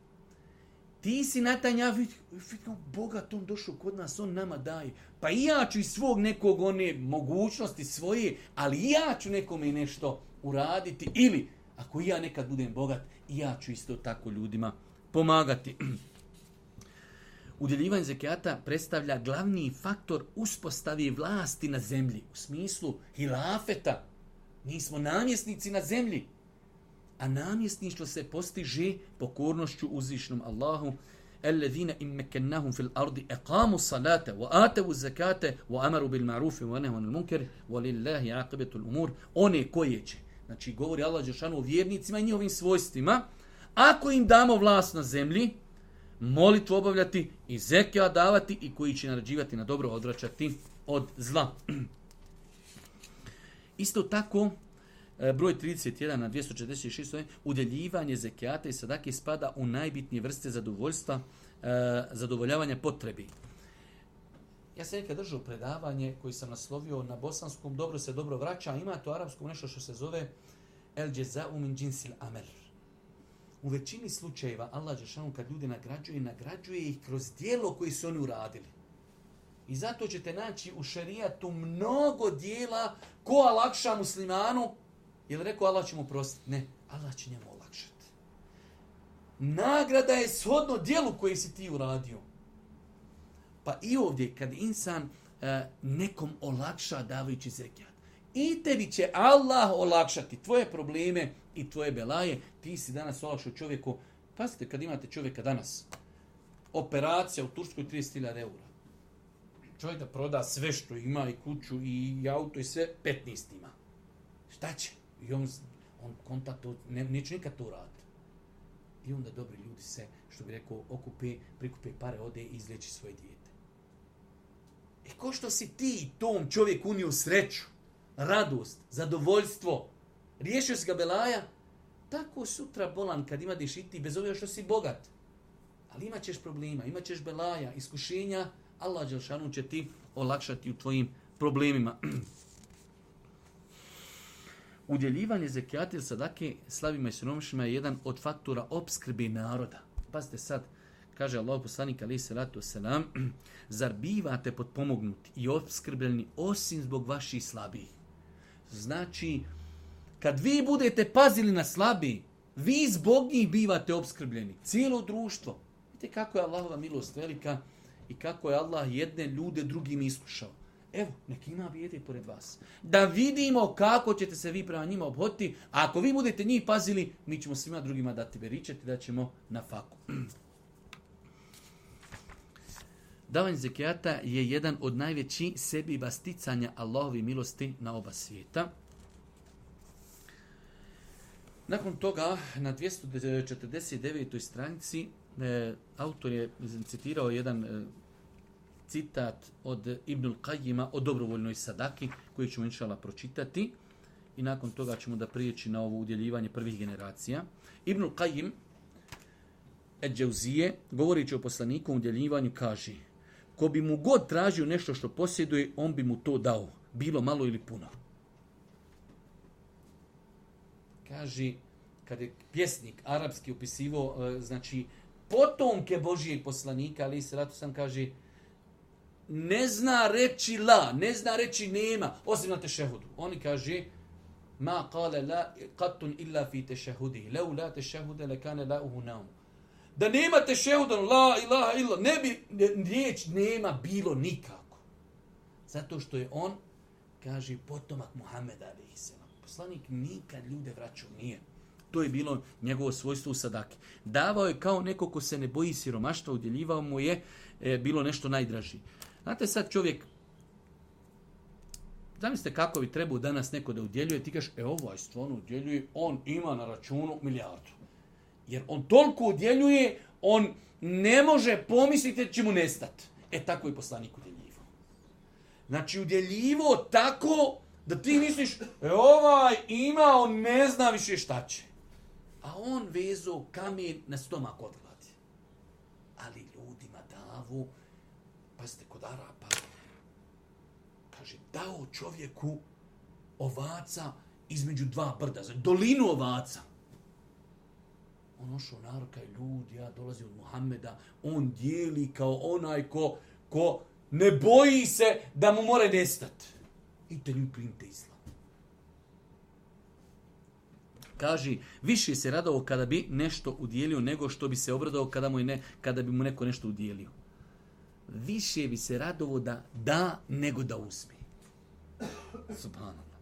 ti si na taj njav, vidno, bogat on došao kod nas, on nama daje. Pa i ja ću iz svog nekog one mogućnosti svoje, ali i ja ću nekome nešto uraditi. Ili, ako i ja nekad budem bogat, i ja ću isto tako ljudima pomagati. Udjeljivanje zekijata predstavlja glavni faktor uspostave vlasti na zemlji. U smislu hilafeta. Mi smo namjesnici na zemlji. A namjesništvo se postiže pokornošću uzvišnom Allahu. Alladhina in makkannahum fil ardi aqamu salata wa atu zakata wa amaru bil ma'ruf wa nahaw anil munkar wa lillahi aqibatu al umur. One koje će, znači govori Allah dželle o vjernicima i njihovim svojstvima, ako im damo vlast na zemlji, molitvu obavljati i zekijat davati i koji će naređivati na dobro, odvraćati od zla. Isto tako, broj trideset jedan na dvjesto četrdeset šest, udjeljivanje zekijata i sadake spada u najbitnije vrste zadovoljstva, zadovoljavanja potrebi. Ja sam nekad držao predavanje koji sam naslovio na bosanskom, dobro se dobro vraća, ima to arapskom nešto što se zove el džezau min džinsil amel. u većini slučajeva Allah dželešanu kad ljude nagrađuje, nagrađuje ih kroz djelo koje su oni uradili. I zato ćete naći u šerijatu mnogo dijela ko olakša muslimanu, jer rekao Allah će mu prostiti. Ne, Allah će njemu olakšati. Nagrada je shodno dijelu koje si ti uradio. Pa i ovdje kad insan uh, nekom olakša davajući zekijat, i tebi će Allah olakšati tvoje probleme i tvoje belaje. Ti si danas olakšao čovjeku. Pazite, kad imate čovjeka danas, operacija u Turskoj trideset hiljada eura. Čovjek da proda sve što ima, i kuću, i auto, i sve, petnaest ima. Šta će? I on, on kontakt, ne, neće nikad to raditi. I onda dobri ljudi se, što bi rekao, okupe, prikupe pare, ode i izleči svoje dijete. E ko što si ti tom čovjeku unio sreću, radost, zadovoljstvo, riješio si ga belaja, tako sutra bolan kad ima i ti, bez obzira što si bogat. Ali imat ćeš problema, imat ćeš belaja, iskušenja, Allah dželešanu će ti olakšati u tvojim problemima. Udjeljivanje zekijata ili sadake slabima i siromašnima je jedan od faktora opskrbe naroda. Pazite sad, kaže Allah poslanik alejhi selatu selam, zar bivate potpomognuti i opskrbljeni osim zbog vaših slabih? Znači, kad vi budete pazili na slabi, vi zbog njih bivate opskrbljeni. Cijelo društvo. Vidite kako je Allahova milost velika i kako je Allah jedne ljude drugim iskušao. Evo, neki ima bijede pored vas. Da vidimo kako ćete se vi prema njima obhoditi, a ako vi budete njih pazili, mi ćemo svima drugima dati beričeti, da ćemo na faku. Davanje zekijata je jedan od najvećih sebiba sticanja Allahovi milosti na oba svijeta. Nakon toga, na dvjesto četrdeset devetoj stranici, e, autor je citirao jedan e, citat od Ibnul Qajima o dobrovoljnoj sadaki, koji ćemo inšallah pročitati. I nakon toga ćemo da prijeći na ovo udjeljivanje prvih generacija. Ibnul Qajim, Ed-Džauzije, govorići o poslaniku udjeljivanju, kaže: ko bi mu god tražio nešto što posjeduje, on bi mu to dao, bilo malo ili puno. Kaže, kad je pjesnik arapski opisivao, znači, potomke Božijeg poslanika, ali se ratu sam kaže, ne zna reći la, ne zna reći nema, osim na tešehudu. Oni kaže, ma kale la qatun illa fi tešehudi, lau la tešehude le kane la uhu naum. Da nema tešehuda, la ilaha illa, ne bi riječ nema bilo nikako. Zato što je on, kaže, potomak Muhameda alejhi selam. Poslanik nikad ljude vraćao nije. To je bilo njegovo svojstvo u sadaki. Davao je kao neko ko se ne boji siromaštva, udjeljivao mu je e, bilo nešto najdraži. Znate sad čovjek, zamislite kako bi trebao danas neko da udjeljuje, ti kažeš, e ovaj stvarno udjeljuje, on ima na računu milijardu. Jer on toliko udjeljuje, on ne može pomisliti da će mu nestati. E tako je poslanik udjeljivao. Znači udjeljivo tako da ti misliš, e ovaj ima, on ne zna više šta će. A on vezo kamen na stomak od gladi. Ali ljudima davu, pazite, kod Arapa, kaže, dao čovjeku ovaca između dva brda, dolinu ovaca. On ošao narod, kaj ljudi, ja dolazi od Muhammeda, on dijeli kao onaj ko, ko ne boji se da mu more nestati. I te nju primite islam. Kaže, više se radao kada bi nešto udjelio nego što bi se obradao kada, mu ne, kada bi mu neko nešto udjelio. Više bi se radovao da da nego da uzme. Subhanallah.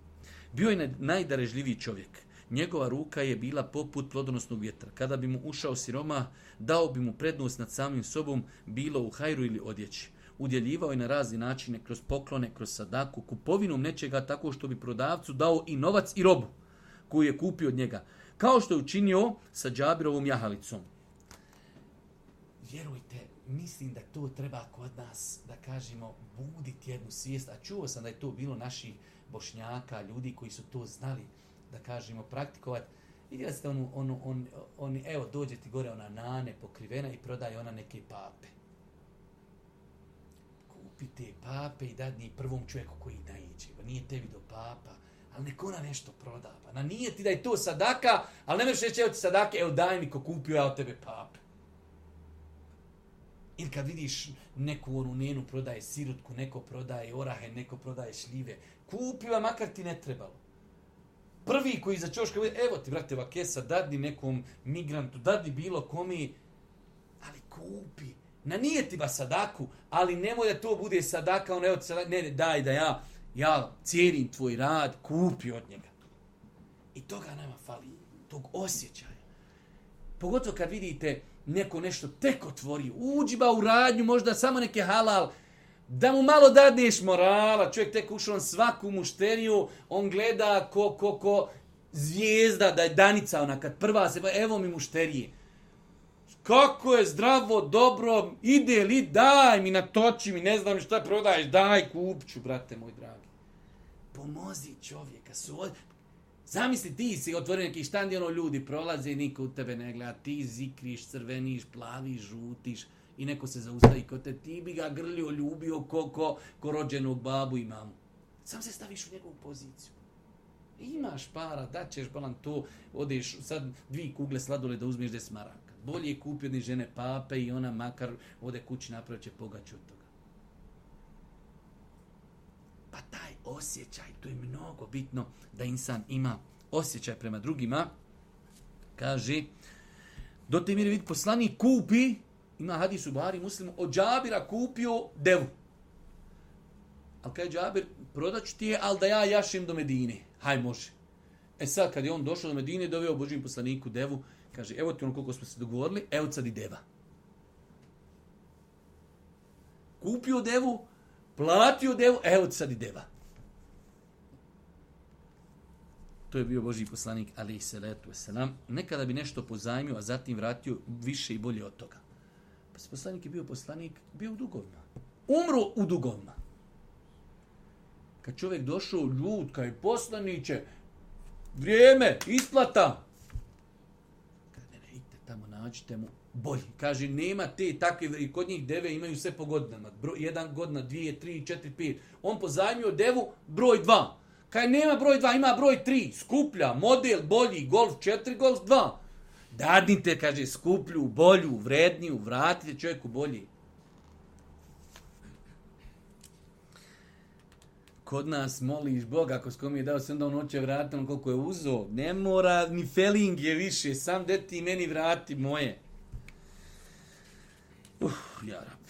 Bio je najdarežljiviji čovjek. Njegova ruka je bila poput plodonosnog vjetra. Kada bi mu ušao siroma, dao bi mu prednost nad samim sobom, bilo u hajru ili odjeći. Udjeljivao je na razne načine, kroz poklone, kroz sadaku, kupovinom nečega, tako što bi prodavcu dao i novac i robu koju je kupio od njega. Kao što je učinio sa Džabirovom jahalicom. Vjerujte, mislim da to treba kod nas, da kažemo, buditi jednu svijest. A čuo sam da je to bilo naših Bošnjaka, ljudi koji su to znali, da kažemo, praktikovati. Vidjeli ste onu, onu, on, on, evo, dođe ti gore ona nane pokrivena i prodaje ona neke pape. Kupi te pape i dadni prvom čovjeku koji naiđe. Nije tebi do papa, ali neko ona nešto proda. Pa na nije ti da je to sadaka, ali ne možeš reći, evo ti sadake, evo daj mi ko kupio ja od tebe pape. Ili kad vidiš neku onu njenu prodaje sirutku, neko prodaje orahe, neko prodaje šljive, kupio, makar ti ne trebalo. Prvi koji za čoška, evo ti, brate, ova kesa, dadni nekom migrantu, dadni bilo komi, ali kupi. Na nije ti ba sadaku, ali nemoj da to bude sadaka, on evo ti sadaka, ne, ne, daj da ja, ja cijenim tvoj rad, kupi od njega. I toga nama fali, tog osjećaja. Pogotovo kad vidite neko nešto tek otvori, uđi ba u radnju, možda samo neke halal, da mu malo dadneš morala, čovjek tek ušao on svaku mušteriju, on gleda ko, ko, ko zvijezda, da je danica ona, kad prva se, evo mi mušterije. Kako je zdravo, dobro, ide li, daj mi, natoči mi, ne znam šta prodaješ, daj, kupću, brate moj dragi. Pomozi čovjeka, su... Zamisli, ti si otvorio neki štand i ono ljudi prolaze i niko u tebe ne gleda, ti zikriš, crveniš, plaviš, žutiš i neko se zaustavi kod te, ti bi ga grlio, ljubio ko, ko, ko rođenog babu i mamu. Sam se staviš u njegovu poziciju. Imaš para, daćeš balan to, odeš sad dvije kugle sladoleda uzmeš des maraka. Bolje je kupio od žene pape i ona makar ode kući napravit će pogaću od toga. Pa taj osjećaj, to je mnogo bitno da insan ima osjećaj prema drugima. Kaže, do te mjere vidi poslanik kupi, ima hadis u Buhari Muslimu, od Džabira kupio devu. Ali kaže Džabir, prodaću ti je, ali da ja jašim do Medine. Haj, može. E sad, kad je on došao do Medine, doveo Božjem poslaniku devu, kaže, evo ti ono koliko smo se dogovorili, evo sad i deva. Kupio devu, platio devu, evo ti sad i deva. To je bio Božji poslanik, alejhi salatu vesselam. Nekada bi nešto pozajmio, a zatim vratio više i bolje od toga. Pa poslanik je bio poslanik, bio u dugovima. Umro u dugovima. Kad čovjek došao ljud, kaj poslaniće, vrijeme, isplata. Kad ne, ne, idite tamo, nađite mu bolji. Kaže, nema te takve, i kod njih deve imaju sve po godinama. Bro, jedan godina, dvije, tri, četiri, pet. On pozajmio devu, broj dva. Kaj nema broj dva, ima broj tri. Skuplja, model, bolji, golf četiri, golf dva. Dadnite, kaže, skuplju, bolju, vredniju, vratite čovjeku bolji. Kod nas moliš Boga, ako s kom je dao, se onda on hoće vratiti on koliko je uzo. Ne mora, ni feeling je više, sam deti meni vrati moje. Uh, ja rab.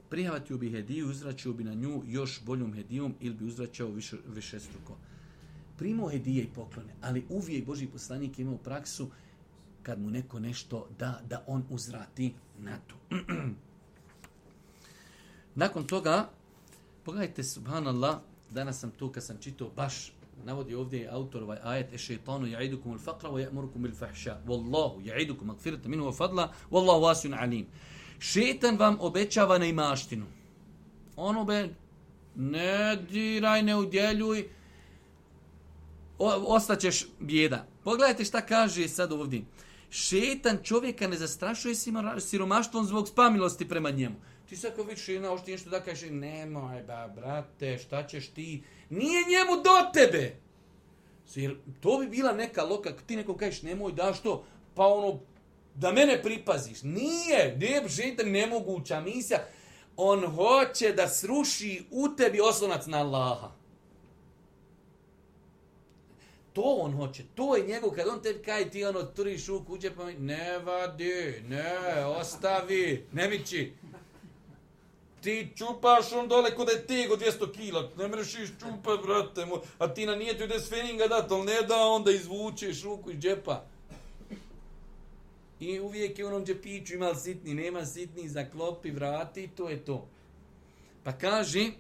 Prijavatio bi hediju, uzvraćao bi na nju još boljom hedijom ili bi uzvraćao više, više struko. Primao hedije i poklone, ali uvijek Božji poslanik imao praksu kad mu neko nešto da, da on uzvrati na to. Nakon toga, pogledajte, subhanallah, danas sam tu kad sam čitao, baš navodi ovdje autor ovaj ajet, ešeitanu ja'idukum al-faqra wa ya'murukum bil-fahsha, wallahu ja'idukum magfiratan minhu wa fadla, wallahu wasi'un alim. Šetan vam obećava neimaštinu. Ono be, ne diraj, ne udjeljuj, ostaćeš bijeda. Pogledajte šta kaže sad ovdje. Šetan čovjeka ne zastrašuje siromaštvom zbog spamilosti prema njemu. Ti sad kao vidiš jedna ošti nešto da kažeš, nemoj ba, brate, šta ćeš ti? Nije njemu do tebe. Jer to bi bila neka loka, ti nekom kažeš, nemoj da što, pa ono, da mene pripaziš. Nije, ne, šetan nemoguća misija. On hoće da sruši u tebi oslonac na Allaha. To on hoće, to je njegov, kad on tebi kaj ti ono turiš u kuće, pa mi, ne vadi, ne, ostavi, ne mići. Ti čupaš on dole kod je tego dvjesto kila, ne mreš iš čupat, brate, a ti na nijetu ide s feninga dat, ali ne da onda izvučeš ruku iz džepa. I uvijek je u onom džepiću ima sitni, nema sitni, zaklopi, vrati, to je to. Pa kaže,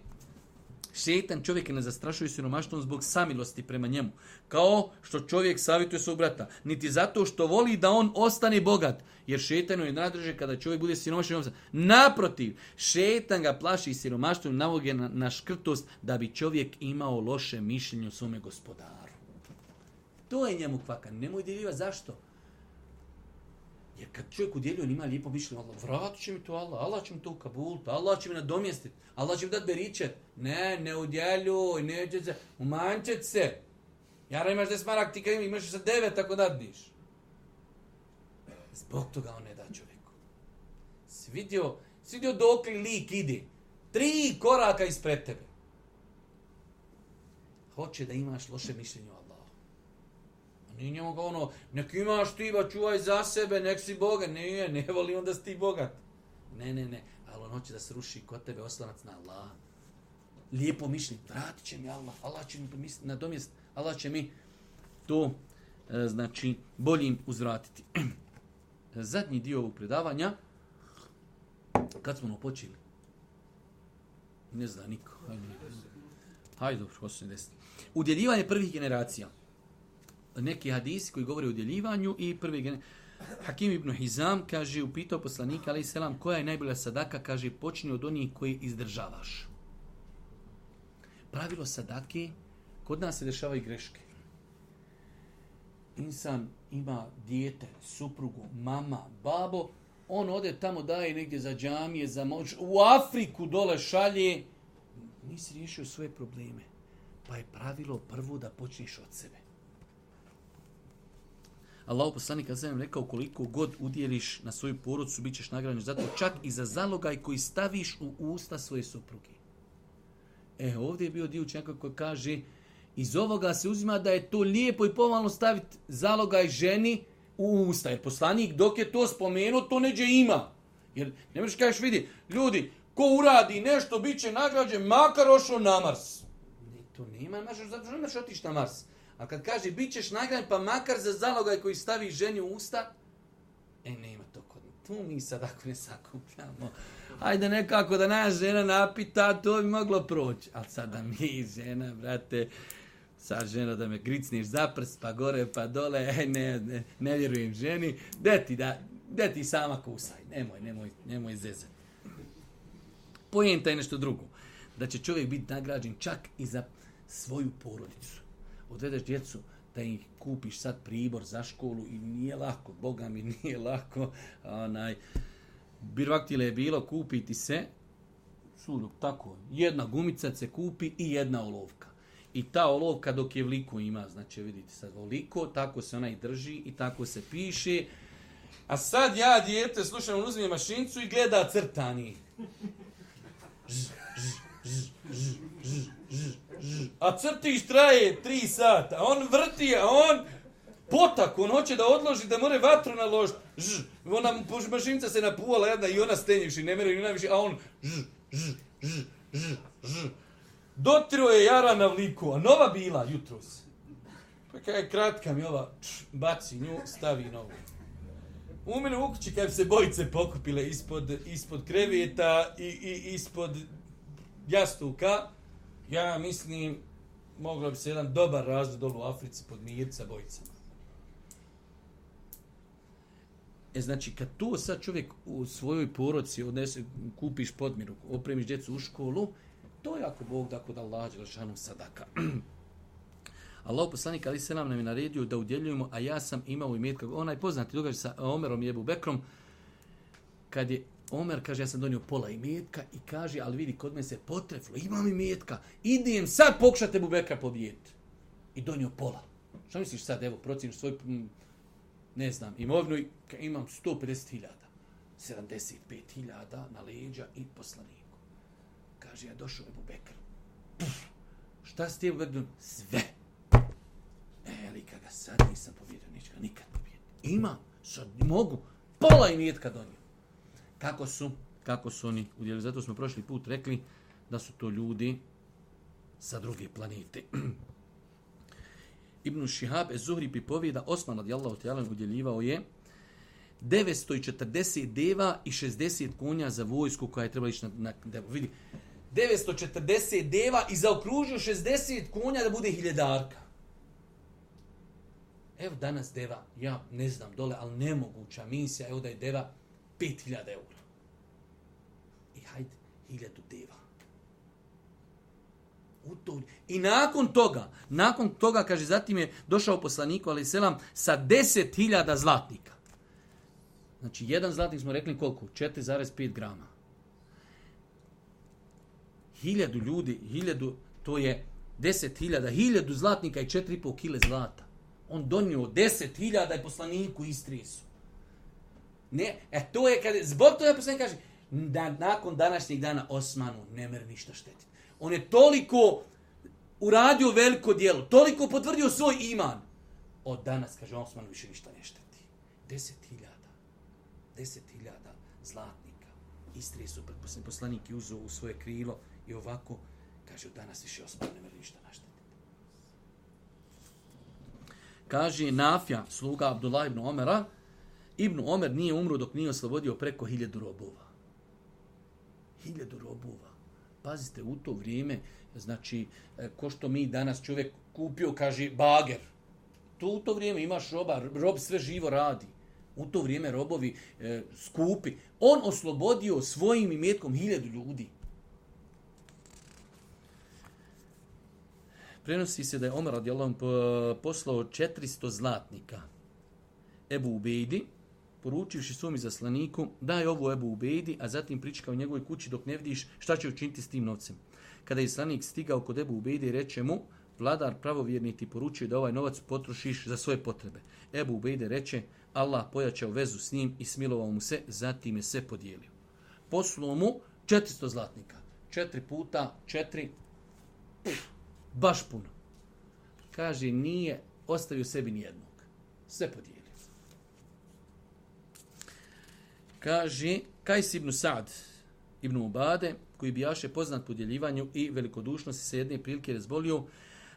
šetan čovjeka ne zastrašuje siromaštvom zbog samilosti prema njemu. Kao što čovjek savjetuje svog brata. Niti zato što voli da on ostane bogat. Jer šetanu je najdraže kada čovjek bude siromašan. Naprotiv, šetan ga plaši siromaštvom, navodi na, na škrtost da bi čovjek imao loše mišljenje o svome gospodaru. To je njemu kvaka. Nemoj djeljiva zašto. Jer kad čovjek udjeljuje, on ima lijepo mišljenje, Allah, vratit će mi to Allah, Allah će mi to ukabuliti, Allah će mi nadomjestiti, Allah će mi dati beričet. Ne, ne udjeljuj, neće se, umanjčet se. Jara imaš deset marak, ti kad imaš sa devet, ako dadniš. Zbog toga on ne da čovjeku. Svidio, svidio dok li lik ide. Tri koraka ispred tebe. Hoće da imaš loše mišljenje o Allahu. A nije njemu ga ono, nek imaš ti, ba čuvaj za sebe, nek si bogat. Nije, ne voli onda si ti bogat. Ne, ne, ne. Ali on hoće da se ruši kod tebe oslanac na Allah. Lijepo mišljenje, vratit će mi Allah. Allah će mi nadomjest, Allah će mi to, znači, boljim uzvratiti. Zadnji dio ovog predavanja, kad smo ono počeli? Ne zna niko. Hajde, Hajde dobro, ko se desiti. Udjeljivanje prvih generacija. Neki hadisi koji govore o udjeljivanju i prvi generacija. Hakim ibn Hizam kaže, upitao poslanika, alejhi selam, koja je najbolja sadaka? Kaže, počni od onih koji izdržavaš. Pravilo sadake, kod nas se dešavaju greške. Insan ima dijete, suprugu, mama, babo, on ode tamo daje negdje za džamije, za moć, u Afriku dole šalje, nisi riješio svoje probleme. Pa je pravilo prvo da počneš od sebe. Allahu poslanik kad sam rekao, koliko god udjeliš na svoju porodicu, bit ćeš nagrađen zato, čak i za zalogaj koji staviš u usta svoje supruge. E, ovdje je bio dio učenjaka koji kaže, iz ovoga se uzima da je to lijepo i pomalno staviti zalogaj ženi u usta. Jer poslanik dok je to spomenuo, to neđe ima. Jer ne možeš kažeš, vidi, ljudi, ko uradi nešto, bit će nagrađen, makar ošao na Mars. Ne, to nema, možeš, zato što nemaš otići na Mars. A kad kaže, bit ćeš nagrađen, pa makar za zalogaj koji stavi ženi u usta, e, nema to kod me. Tu mi sad ako ne sakupljamo. Hajde nekako da naša žena napita, to bi moglo proći. Ali sada mi, žena, brate, sad žena da me gricniš za prst, pa gore, pa dole, e, ne, ne, ne vjerujem ženi, de ti, da, de ti sama kusaj, nemoj, nemoj, nemoj zezati. Pojenta je nešto drugo, da će čovjek biti nagrađen čak i za svoju porodicu. Odvedeš djecu da ih kupiš sad pribor za školu i nije lako, Boga mi nije lako, onaj, birvaktile je bilo kupiti se, sudok, tako, jedna gumica se kupi i jedna olovka. I ta olovka dok je vliko ima, znači vidite sad oliko, tako se ona i drži i tako se piše. A sad ja, dijete, slušam, on uzme mašincu i gleda crtani. Ž, ž, ž, ž, ž, ž, ž. A crtiš traje tri sata, a on vrti, a on potak, on hoće da odloži, da more vatru naložiti. Ž, ona mašinca se napuvala jedna i ona stenjiš i ne mere ni najviše, a on ž, ž, ž, ž, ž. Dotiro je jara na vliku, a nova bila jutros. Pa kada je kratka mi ova, č, baci nju, stavi novu. U mene u kući kad se bojice pokupile ispod, ispod kreveta i, i ispod jastuka, ja mislim, moglo bi se jedan dobar razred dolu u Africi pod mirca bojicama. E znači, kad to sad čovjek u svojoj porodici odnese, kupiš podmiru, opremiš djecu u školu, to je ako Bog da kod Allah dželešanu sadaka. Allah poslanik alejhi selam nam je naredio da udjeljujemo, a ja sam imao imetka. Onaj poznati događaj sa Omerom i Ebu Bekrom, kad je Omer kaže, ja sam donio pola imetka i kaže, ali vidi, kod mene se potreflo, imam imetka, idem sad pokušati Ebu Bekra pobijeti. I donio pola. Što misliš sad, evo, procjeniš svoj, ne znam, imovinu i imam sto pedeset hiljada, sedamdeset pet hiljada na leđa i poslaniku. Kaže, ja došao Ebu Bekr. Puf, šta si ti Ebu Bekr? Sve. E, ali kada sad nisam pobjedio, neću ga nikad pobjediti. Imam, sad mogu, pola imetka donio. Kako su, kako su oni udjelili? Zato smo prošli put rekli da su to ljudi sa druge planete. Ibn Šihab ez-Zuhri pripovijeda, Osman radijallahu ta'ala udjeljivao je devetsto četrdeset deva i šezdeset konja za vojsku koja je trebala ići na, na devu. Vidi, devetsto četrdeset deva i zaokružio šezdeset konja da bude hiljadarka. Evo danas deva, ja ne znam dole, ali nemoguća misija, evo da je deva pet hiljada eura. I hajde, hiljadu deva. U to. I nakon toga, nakon toga, kaže, zatim je došao poslaniku, alejhi selam, sa deset hiljada zlatnika. Znači, jedan zlatnik smo rekli koliko? četiri zarez pet grama. Hiljadu ljudi, hiljadu, to je deset hiljada, hiljadu zlatnika i četiri i pol kile zlata. On donio deset hiljada i poslaniku istresu. Ne, e to je kad, zbog toga poslanik kaže, da nakon današnjeg dana Osmanu ne mer ništa štetiti. On je toliko uradio veliko djelo, toliko potvrdio svoj iman. Od danas, kaže, Osmanu više ništa ne šteti. Deset hiljada, deset hiljada zlatnika istresu pred poslanik i uzeo u svoje krilo i ovako, kaže, od danas više Osman ne mer ništa naštetiti. Kaže Nafja, sluga Abdullah ibn Omera, Ibn Omer nije umro dok nije oslobodio preko hiljadu robova. Hiljadu robova. Pazite, u to vrijeme, znači, ko što mi danas čovjek kupio, kaže, bager. To u to vrijeme imaš roba, rob sve živo radi. U to vrijeme robovi e, skupi. On oslobodio svojim imetkom hiljadu ljudi. Prenosi se da je Omer radijallahu anhu poslao četiristo zlatnika Ebu Ubejdi, poručivši svom izaslaniku, daj ovo Ebu Ubejdi, a zatim pričekao u njegovoj kući dok ne vidiš šta će učiniti s tim novcem. Kada je izaslanik stigao kod Ebu Ubejdi i reče mu, vladar pravovjerni ti poručuje da ovaj novac potrošiš za svoje potrebe. Ebu Ubejde reče, Allah pojačao vezu s njim i smilovao mu se, zatim je sve podijelio. Poslao mu četiristo zlatnika. Četiri puta, četiri, pff, baš puno. Kaže, nije ostavio sebi nijednog. Sve podijelio. Kaže, Kajs ibn Sa'd ibn Ubade, koji bijaše poznat po djeljivanju i velikodušnosti, se jedne prilike razbolio,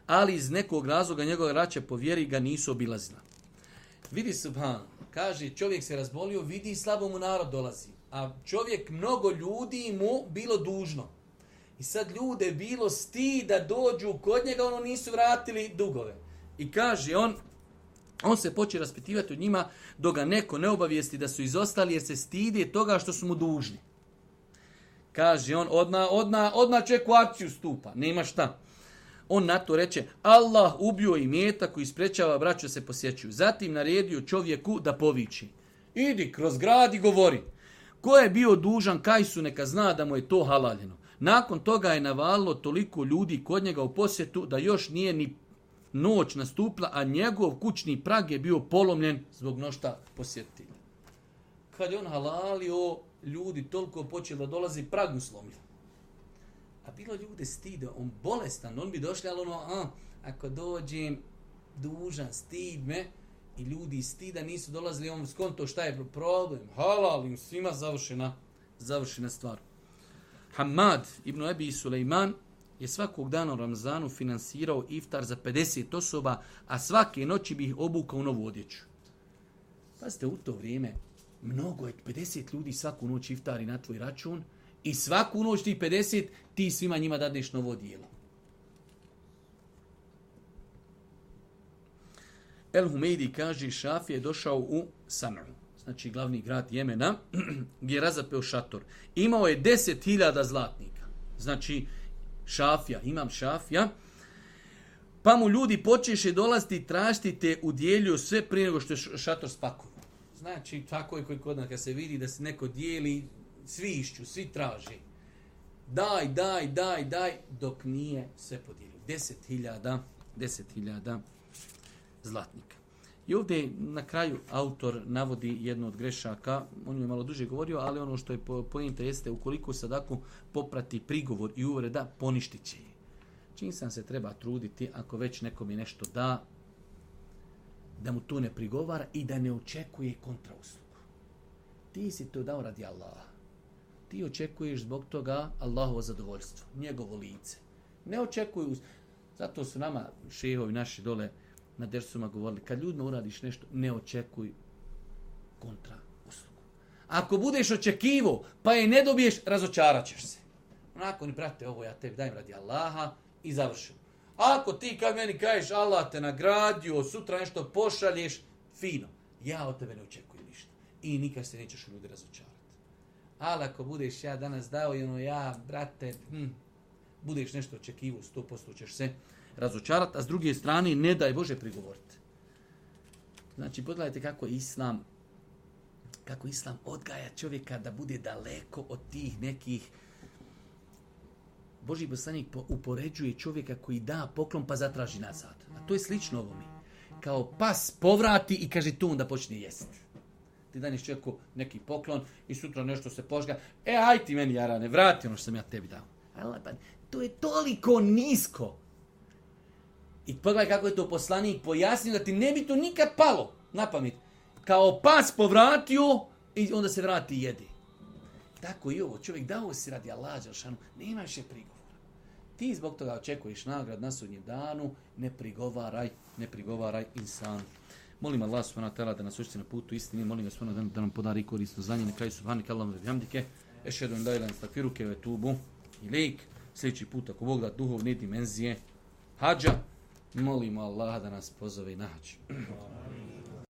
ali iz nekog razloga njegove raće po vjeri ga nisu obilazila. Vidi subhan, kaže, čovjek se razbolio, vidi slabo mu narod dolazi, a čovjek, mnogo ljudi mu bilo dužno. I sad ljude bilo stid da dođu kod njega, ono nisu vratili dugove. I kaže on, on se počne raspitivati od njima dok ga neko ne obavijesti da su izostali jer se stidi toga što su mu dužni. Kaže on, odmah, odmah, odmah čeku akciju stupa, nema šta. On na to reče, Allah ubio imetak koji sprečava braću se posjećuju. Zatim naredio čovjeku da poviči. Idi kroz grad i govori. Ko je bio dužan Kajsu, neka zna da mu je to halaljeno. Nakon toga je navalilo toliko ljudi kod njega u posjetu da još nije ni noć nastupila, a njegov kućni prag je bio polomljen zbog mnošta posjetitelja. Kad je on halalio, ljudi toliko počeli da dolazi, prag mu slomio. A bilo ljude stide, on bolestan, on bi došli, ali ono, a, ako dođem, dužan, stid me, i ljudi stida nisu dolazili, on skonto šta je problem, halalim, svima završena, završena stvar. Hamad ibn Ebi Sulejman je svakog dana u Ramazanu finansirao iftar za pedeset osoba, a svake noći bi ih obukao u novu odjeću. Pazite, u to vrijeme mnogo je pedeset ljudi svaku noć iftari na tvoj račun i svaku noć ti pedeset ti svima njima dadneš novo odijelo. El Humeidi kaže, Šafija je došao u San'u, znači glavni grad Jemena, gdje je razapeo šator. Imao je deset hiljada zlatnika. Znači, Šafija, imam Šafija. Pa mu ljudi počeše dolaziti i tražiti te udjelio sve prije nego što je šator spakovo. Znači, tako je koji kod nas, kad se vidi da se neko dijeli, svi išću, svi traži. Daj, daj, daj, daj, dok nije sve podijelio. Deset hiljada, deset hiljada zlatnika. I ovdje na kraju autor navodi jednu od grešaka, on je malo duže govorio, ali ono što je pojenta jeste, ukoliko sadaku poprati prigovor i uvreda, poništit će je. Čim sam se treba truditi, ako već nekom je nešto da, da mu to ne prigovara i da ne očekuje kontrauslugu. Ti si to dao radi Allaha. Ti očekuješ zbog toga Allahovo zadovoljstvo, njegovo lice. Ne očekuju, zato su nama šehovi naši dole na dersuma govorili, kad ljudima uradiš nešto, ne očekuj kontra uslugu. Ako budeš očekivo, pa je ne dobiješ, razočarat ćeš se. Onako ni prate ovo, ja tebi dajem radi Allaha i završim. Ako ti kad meni kažeš Allah te nagradio, sutra nešto pošalješ, fino. Ja od tebe ne očekujem ništa. I nikad se nećeš u ljudi razočarati. Ali ako budeš ja danas dao i ono ja, brate, hm, budeš nešto očekivo, sto posto ćeš se razočarati, a s druge strane ne daj Bože prigovoriti. Znači, pogledajte kako je Islam kako Islam odgaja čovjeka da bude daleko od tih nekih. Božji poslanik upoređuje čovjeka koji da poklon pa zatraži nazad. A to je slično ovome. Kao pas povrati i kaže tu onda počne jesti. Ti daneš čovjeku neki poklon i sutra nešto se požga. E, aj ti meni, jarane, vrati ono što sam ja tebi dao. Ali, pa, to je toliko nisko. I pogledaj kako je to poslanik pojasnio da ti ne bi to nikad palo na pamet. Kao pas povratio i onda se vrati i jedi. Tako i ovo. Čovjek dao si radi Allah dželešanu, nema više prigovora. Ti zbog toga očekuješ nagrad na sudnjem danu, ne prigovaraj, ne prigovaraj insan. Molim Allah subhanahu wa ta'ala da nas učiti na putu istine, molim ga subhanahu wa ta'ala da nam podari korisno znanje, na kraju subhanak Allahumma wa bihamdike, ešhedu an la ilaha illa anta astaghfiruke wa atubu ilejk. Sljedeći put ako Bog da duhovne dimenzije hadža, molimo Allah da nas pozove i na hadž.